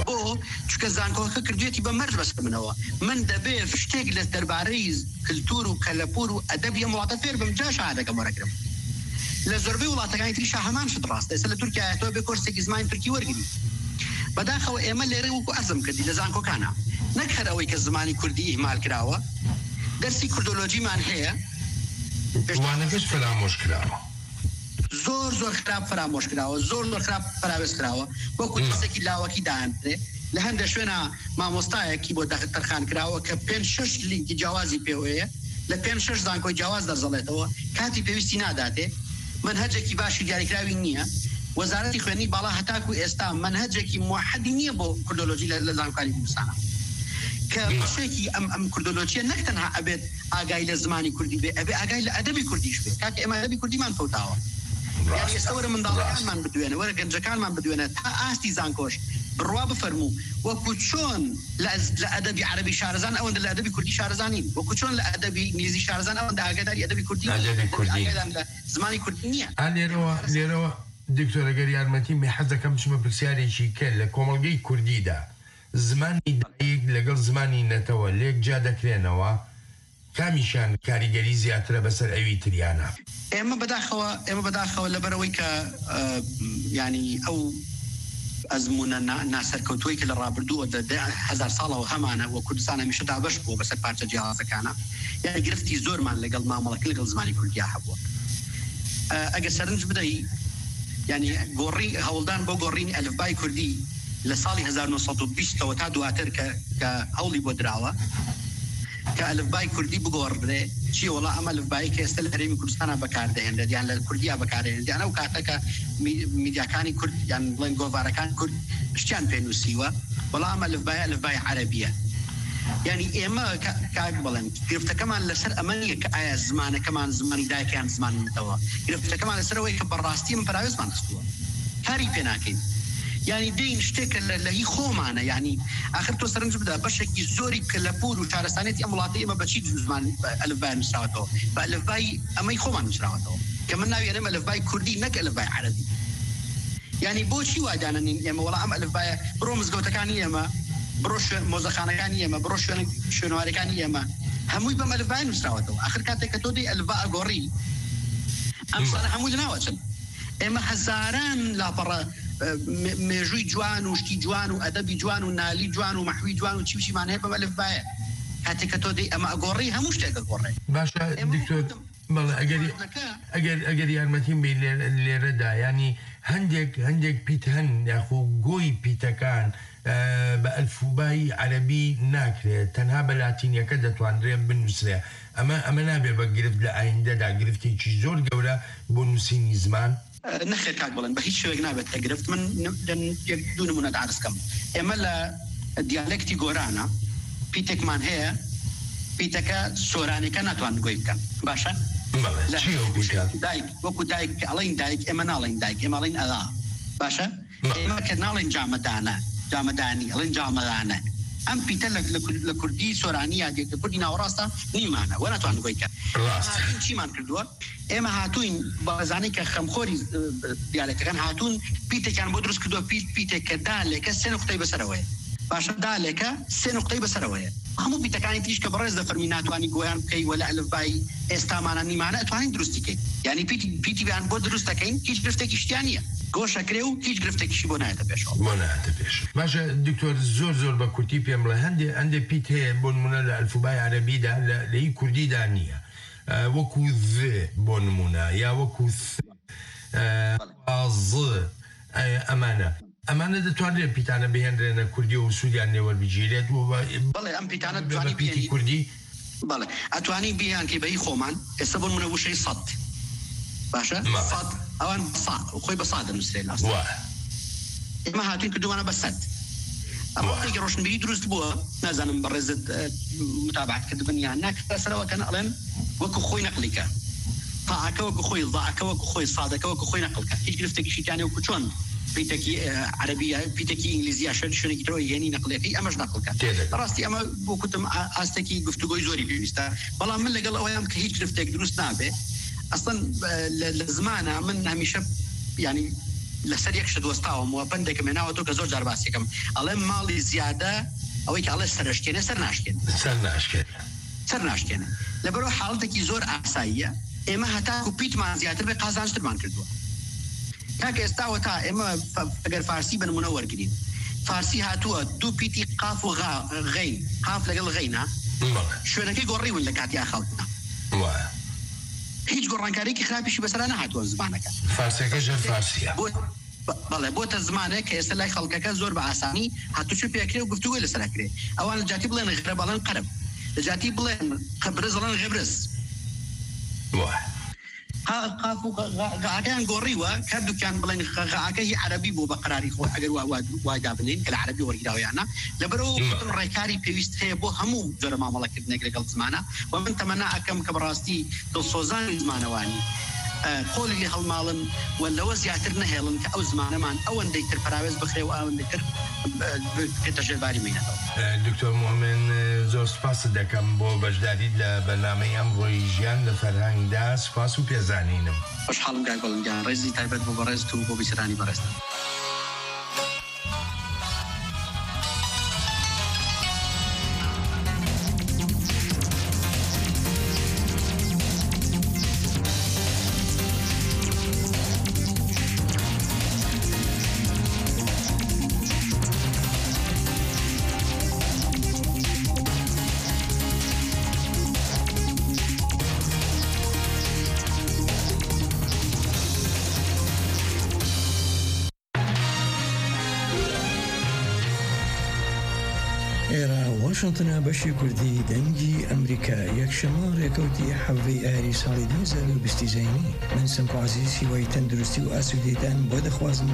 بۆ؟ چونکە زانکۆکە کردوێتی بە مەرج بەسەر منەوە. من دەبێ شتێک لە دەربارەی کلتور و کەلەپور و ئەدەبی ئەم وڵاتە فێر بم، جا شەهادەکەم وەرەگرم. لە زۆربەی وڵاتەکانی تریشا هەمان شت ڕاستە. ئێستا لە تورکیا هاتووە بێ کۆرسێکی زمانی تورکی وەرگری. بەداخەوە ئێمە لێرە وەکو ئەزم کردی لە زانکۆکانە. نەک هەر ئەوەی کە زمانی کوردی ئیهمال کراوە، دەرسی کوردۆلۆجیمان هەیە. وانەکەش فەرامۆش کراوە. زۆر، زۆر خراپ فەرامۆش کراوە، زۆر، زۆر خراپ پەراوێز کراوە. وەکو نا. ترسێکی لاوەکی دایاندرێ. لە هەندێک شوێنە مامۆستایەکی بۆ دەخ-، تەرخان کراوە کە پێنج شەش لینکی جیاوازی پێوەیە، لە پێنج شەش زانکۆی جیاواز دەرزەڵێتەوە، کاتی پێویستی ناداتێ، مەنهەجێکی باشی دیاریکراوی نییە. وەزارەتی خوێندنی باڵا هەتاکو ئێستا مەنهەجێکی موحەدی نییە بۆ کوردۆلۆژی لە لە زانکۆکانی کوردستانە. کە بەشێکی ئەم ئەم کوردۆلۆژیە نەک تەنها ئەبێت ئاگای لە زمانی کوردی بێ، ئەبێ ئاگای لە ئەدەبی کوردیش بێ. کاکە ئێمە ئەدەبی کوردیمان فەوتاوە. یعنی ئێستا وەرە منداڵەکانمان بدوێنە، وەرە گەنجەکانمان بدوێنە، تا ئاستی زانکۆش بڕوا بفەرموو، وەکو چۆن لە ئەز- لە ئەدەبی عەرەبی شارەزان ئەوەندە لە ئەدەبی کوردی شارەزانین، وەکو چۆن لە ئەدەبی ئینگلیزی شارەزان ئەوەندە ئاگاداری ئەدەبی کوردی نین، ئەدەبی کوردی ئاگادان لە زمانی کوردی نییە. ئا لێرەوە، لێرەوە دکتۆر، ئەگەر یارمەتی مێ حەز دەکەم بچمە پرسیارێکی کە لە کۆمەڵگەی کوردیدا زمانی دایک لەگەڵ زمانی نەتەوە لێک جیا دەکرێنەوە، کامیشیان کاریگەری زیاترە بەسەر ئەوی تریانە؟ ئێمە بەداخەوە، ئێمە بەداخەوە لەبەرەوەی کە، ئە، ینی ئەو ئەزموونە نا-، ناسەرکەوتووەی کە لە ڕابردووە دە، دە هەزار ساڵەوە هەمانە و کوردستان هەمیشە دابەش بووە بەسەر پارچە جیاوازەکانە. یعنی گرفتی زۆرمان لەگەڵ مامەڵەکە لەگەڵ زمانی کوردیا هەبووە. ئە، ئەگە سەرنج بدەی، یعنی گۆڕی-، هەوڵدان بۆ گۆڕینی ئەلفبای کوردی لە ساڵی هەزار و نۆ سەد و بیست ەوە تا دواتر کە، کە هەوڵی بۆ دراوە کە ئەلفبای کوردی بگۆڕدرێ، چی وەڵا ئەم ئەلفبایی کە ئێستا لە هەرێمی کوردستانە بەکاردەهێنرێت یان لە کوردیا بەکاردەهێنرێت، یان ئەو کاتە کە می-، میدیاکانی کورد یان بڵێن گۆڤارەکان کورد شتیان پێ نووسیوە، وەڵا ئەم ئەلفبایە ئەلفبای عەرەبیە. یعنی ئێمە کە، کاک بڵێن، گرفتەکەمان لەسەر ئەمە نییە کە ئایا زمانەکەمان زمانی دایکیان زمانی نەتەوە. گرفتەکەمان لەسەر ئەوەیە کە بەڕاستی ئەمە پەراوێزمان خستووە. کاری پێ ناکەین. یعنی دێین شتێک کە لە، لە هی خۆمانە. یعنی ئاخر تۆ سەرنج بدە، بەشێکی زۆری کە لە پور و شارستانێتی ئەم وڵاتی ئێمە بەچی زمان ئەلفبای نووسراوەتەوە؟ بە ئەلفبای ئەمەی خۆمان نووسراوەتەوە، کە من ناوی ئەنێم ئەلفبای کوردی نەک ئەلفبای عەرەبی. یعنی بۆچی وا دانەنین ئێمە؟ وەڵا ئەم ئەلفبایە بڕۆ مزگەوتەکانی ئێمە، بڕۆ شوێ-، مۆزەخانەکانی ئێمە، بڕۆ شوێنە-، شوێنەوارەکانی ئێمە، هەمووی بەم ئەلفبایە نووسراوەتەوە. ئاخر کاتێک کە تۆ دەی ئەلفبا ئەگۆڕی، ئەم شتانە هەمووی لەناوەچن. ئێمە هەزاران لاپەڕە، ئە، مێ-، مێژووی جوان و شتی جوان و ئەدەبی جوان و نالی جوان و مەحوی جوان و چی و چیمان هەیە بەم ئەلفبایە. کاتێک کە تۆ دەی ئەمە ئەگۆڕی، هەموو شتێک ئەگۆڕێ. باشە، ئێمە دکتۆر، بەڵێ، ئەگەر، ئەگەر، ئەگەر یارمەتیم بێ لێ-، لێرەدا، یعنی هەندێک، هەندێک پیت هەن، یاخو گۆی پیتەکان، ئە، بە ئەلفوبای عەرەبی ناکرێت، تەنها بە لاتینیەکە دەتوانرێت بنووسرێ. ئەمە، ئەمە نابێ بە گرفت لە ئایندەدا، گرفتێکی زۆر گەورە بۆ نووسینی زمان؟ ئە، نەخێر کاک بڵێن، بە هیچ شێوەیەک نابێت لە گرفت. من ن-، دن-، یەک دوو نمونە ئەرز کەم. ئێمە لە دیالێکتی گۆرانە پیتێکمان هەیە، پیتەکە سۆرانیەکە ناتوان گۆی بکەن. باشە؟ بەڵێ، لە چی ئەو پیتە؟ دایک، وەکو دایک کە ئەڵێن دایک، ئێمە ناڵێن دایک، ئێمە ئەڵێن ئەغا. باشە؟ بەڵێ. ئێمە کە ناڵێن جامەدانە، جامەدانی، ئەڵێن جامەدانە. ئەم پیتە لە، لە کور-، لە کوردی سۆرانی یا لە کوردی ناوەڕاستە نیمانە، وە ناتوان گۆی کەن. ڕاستە. ئێمە هاتوین چیمان کردووە؟ ئێمە هاتوین بە زانەی کە خەمخۆری، ئە، دیالێکتەکان هاتوون، پیتێکیان بۆ دروست کردووە، پیت-، پیتێک کە دالێکە سێ نقطەی بەسەرەوەیە. باشە، دالێکە سێ نقطەی بەسەرەوەیە. هەموو پیتەکانی تریش کە بەڕێز دەفەرمی ناتوانی گۆیان بکەی وە لە ئەلفبای ئێستامانە نیمانە ئەتوانین دروستی کەین. یعنی پیتی، پیتی بیان بۆ دروست دەکەین، هیچ گرفتێکی شتیان نییە. گۆشەکرێ و هیچ گرفتێکیشی بۆ نایەتە پێشەوە. بۆ نایەتە پێش. باشە، دکتۆر، زۆر زۆر بە کورتی پێم بڵێ، هەندێ، هەندێ پیت هەیە بۆ نمونە لە ئەلفوبای عەرەبیدا، لە، لە هی کوردیدا نییە. ئە، وەکو ذ بۆ نمونە، یا وەکو ث، ئە، بەڵێ. ظ، ئە، ئەمانە. ئەمانە دەتوانرێت پیتانە بهێنرێنە کوردی و سوودیان لێوەربگیرێت و بە، بەڵێ، ئەم پیتانە بە، بە دەتوانی پیتی بهێنی. کوردی. بەڵێ، ئەتوانی بیان کەی بە هی خۆمان. ئێستا بۆ نمونە وشەی سەد. باشە؟ بەڵێ. سەد، ئەوان بە سا-، خۆی بە سا دەنووسرێت لە ئەسڵ. وایە. ئێمە هاتوین کردومانە بە سەد. ئەمە وایە. شتێکی ڕۆشنبیری دروست بووە، نازانم بەڕێزت، ئە، متابعەت کردبن یان نا، کە سەرەوە کەن ئەڵێن وەکو خۆی نەقلی کە. تاعەکە وەکو خۆی، ضاعەکە وەکو خۆی، سادەکە وەکو خۆی نەقل کە. هیچ گرفتێکی شیتانێ وەکو چۆن پیتەکی، ئە، عەرەبیە، پیتەکی ئینگلیزیە، شوێن-، شوێنێکی ترەوە یەنی نەقلەکەی، ئەمەش نەقل کە. تێدەگەم. بەڕاستی ئەمە بۆ کوتم ئا-، ئاستێکی گفتوگۆی زۆری پێویستە. بەڵام من لەگەڵ ئەوەیەم کە هیچ گرفتێک دروست نابێ. ئەسڵەن، ئە، لە، لە زمانە من هەمیشە، یعنی، لەسەر یەک شت وەستاوم و پەندێکم هێناوە تۆ کە زۆر جار باسیەکەم. ئەڵێم ماڵی زیادە، ئەوەی کە ئەڵێ سەرشکێنێ، سەر ناشکێنێ. سەر ناشکێنێ. سەر ناشکێنێ. لەبەرەوە حاڵەتێکی زۆر ئاساییە. ئێمە هەتاکو پیتمان زیاتر بێ، قازانجترمان کردووە. کاکە ئێستاوە تا ئێمە ف-، ئەگەر فارسی بە نمونە وەرگرین. فارسی هاتووە دوو پیتی قاف و غا-، غەین. قاف لەگەڵ غەینە. بەڵێ. شوێنەکەی گۆڕیون لە کاتی ئاخاوتنا. وایە. هیچ گۆڕانکاریەکی خراپیشی بەسەرا نەهاتووە زمانەکە. فارسەکە ژێر فارسیە. بۆ، بە-، بەڵێ، بۆتە زمانێک کە ئێستا لای خەڵکەکە زۆر بە ئاسانی هاتوچۆ پێکرێ و گفتوگۆی لەسەر ئەکرێ. ئەوان لە جاتی بڵێن غەرەب ئەڵێن قەرەب. لە جاتی بڵێن قەبرز ئەڵێن غەبرز. وایە. قاف و غاکەیان گۆڕیوە، هەردووکیان بڵێن غاکە هی عەرەبی بۆ بە قەراری خۆ، ئەگەر وا وای دابنین کە لە عەرەبی وەرگراویانە، لەبەرەوە وتن ڕێکاری پێویست هەیە بۆ هەموو جۆرە مامەڵەکردنێک لەگەڵ زمانە. و من تەمەنا ئەکەم کە بەڕاستی دڵسۆزانی زمانەوانی قۆلی لێ هەڵماڵن و لەوە زیاتر نەهێڵن کە ئەو زمانەمان ئەوەندەی تر پەراوێز بخرێ و ئەوەندەی تر بکەتە ژێر باری مینەتەوە. دکتۆر مومن، زۆر سپاست دەکەم بۆ بەشداریت لە بەرنامەی ئەمڕۆی ژیان لە فەرهەنگدا. سپاس و پێزانینم. خۆشحاڵم کاک گوڵم گیان، ڕێزی تایبەت بۆ بەڕێزت و بۆ بیسەرانی بەڕێزت. ئێرە واشنتنە، بەشی کوردی دەنگی ئەمریکا. یەکشەممە ڕێکەوتی حەڤەی ئاری ساڵی دوو هەزار و بیست زینی. من سمکۆ عزیز هیوای تەندروستی و ئاسوودێتان بۆ دەخوازم.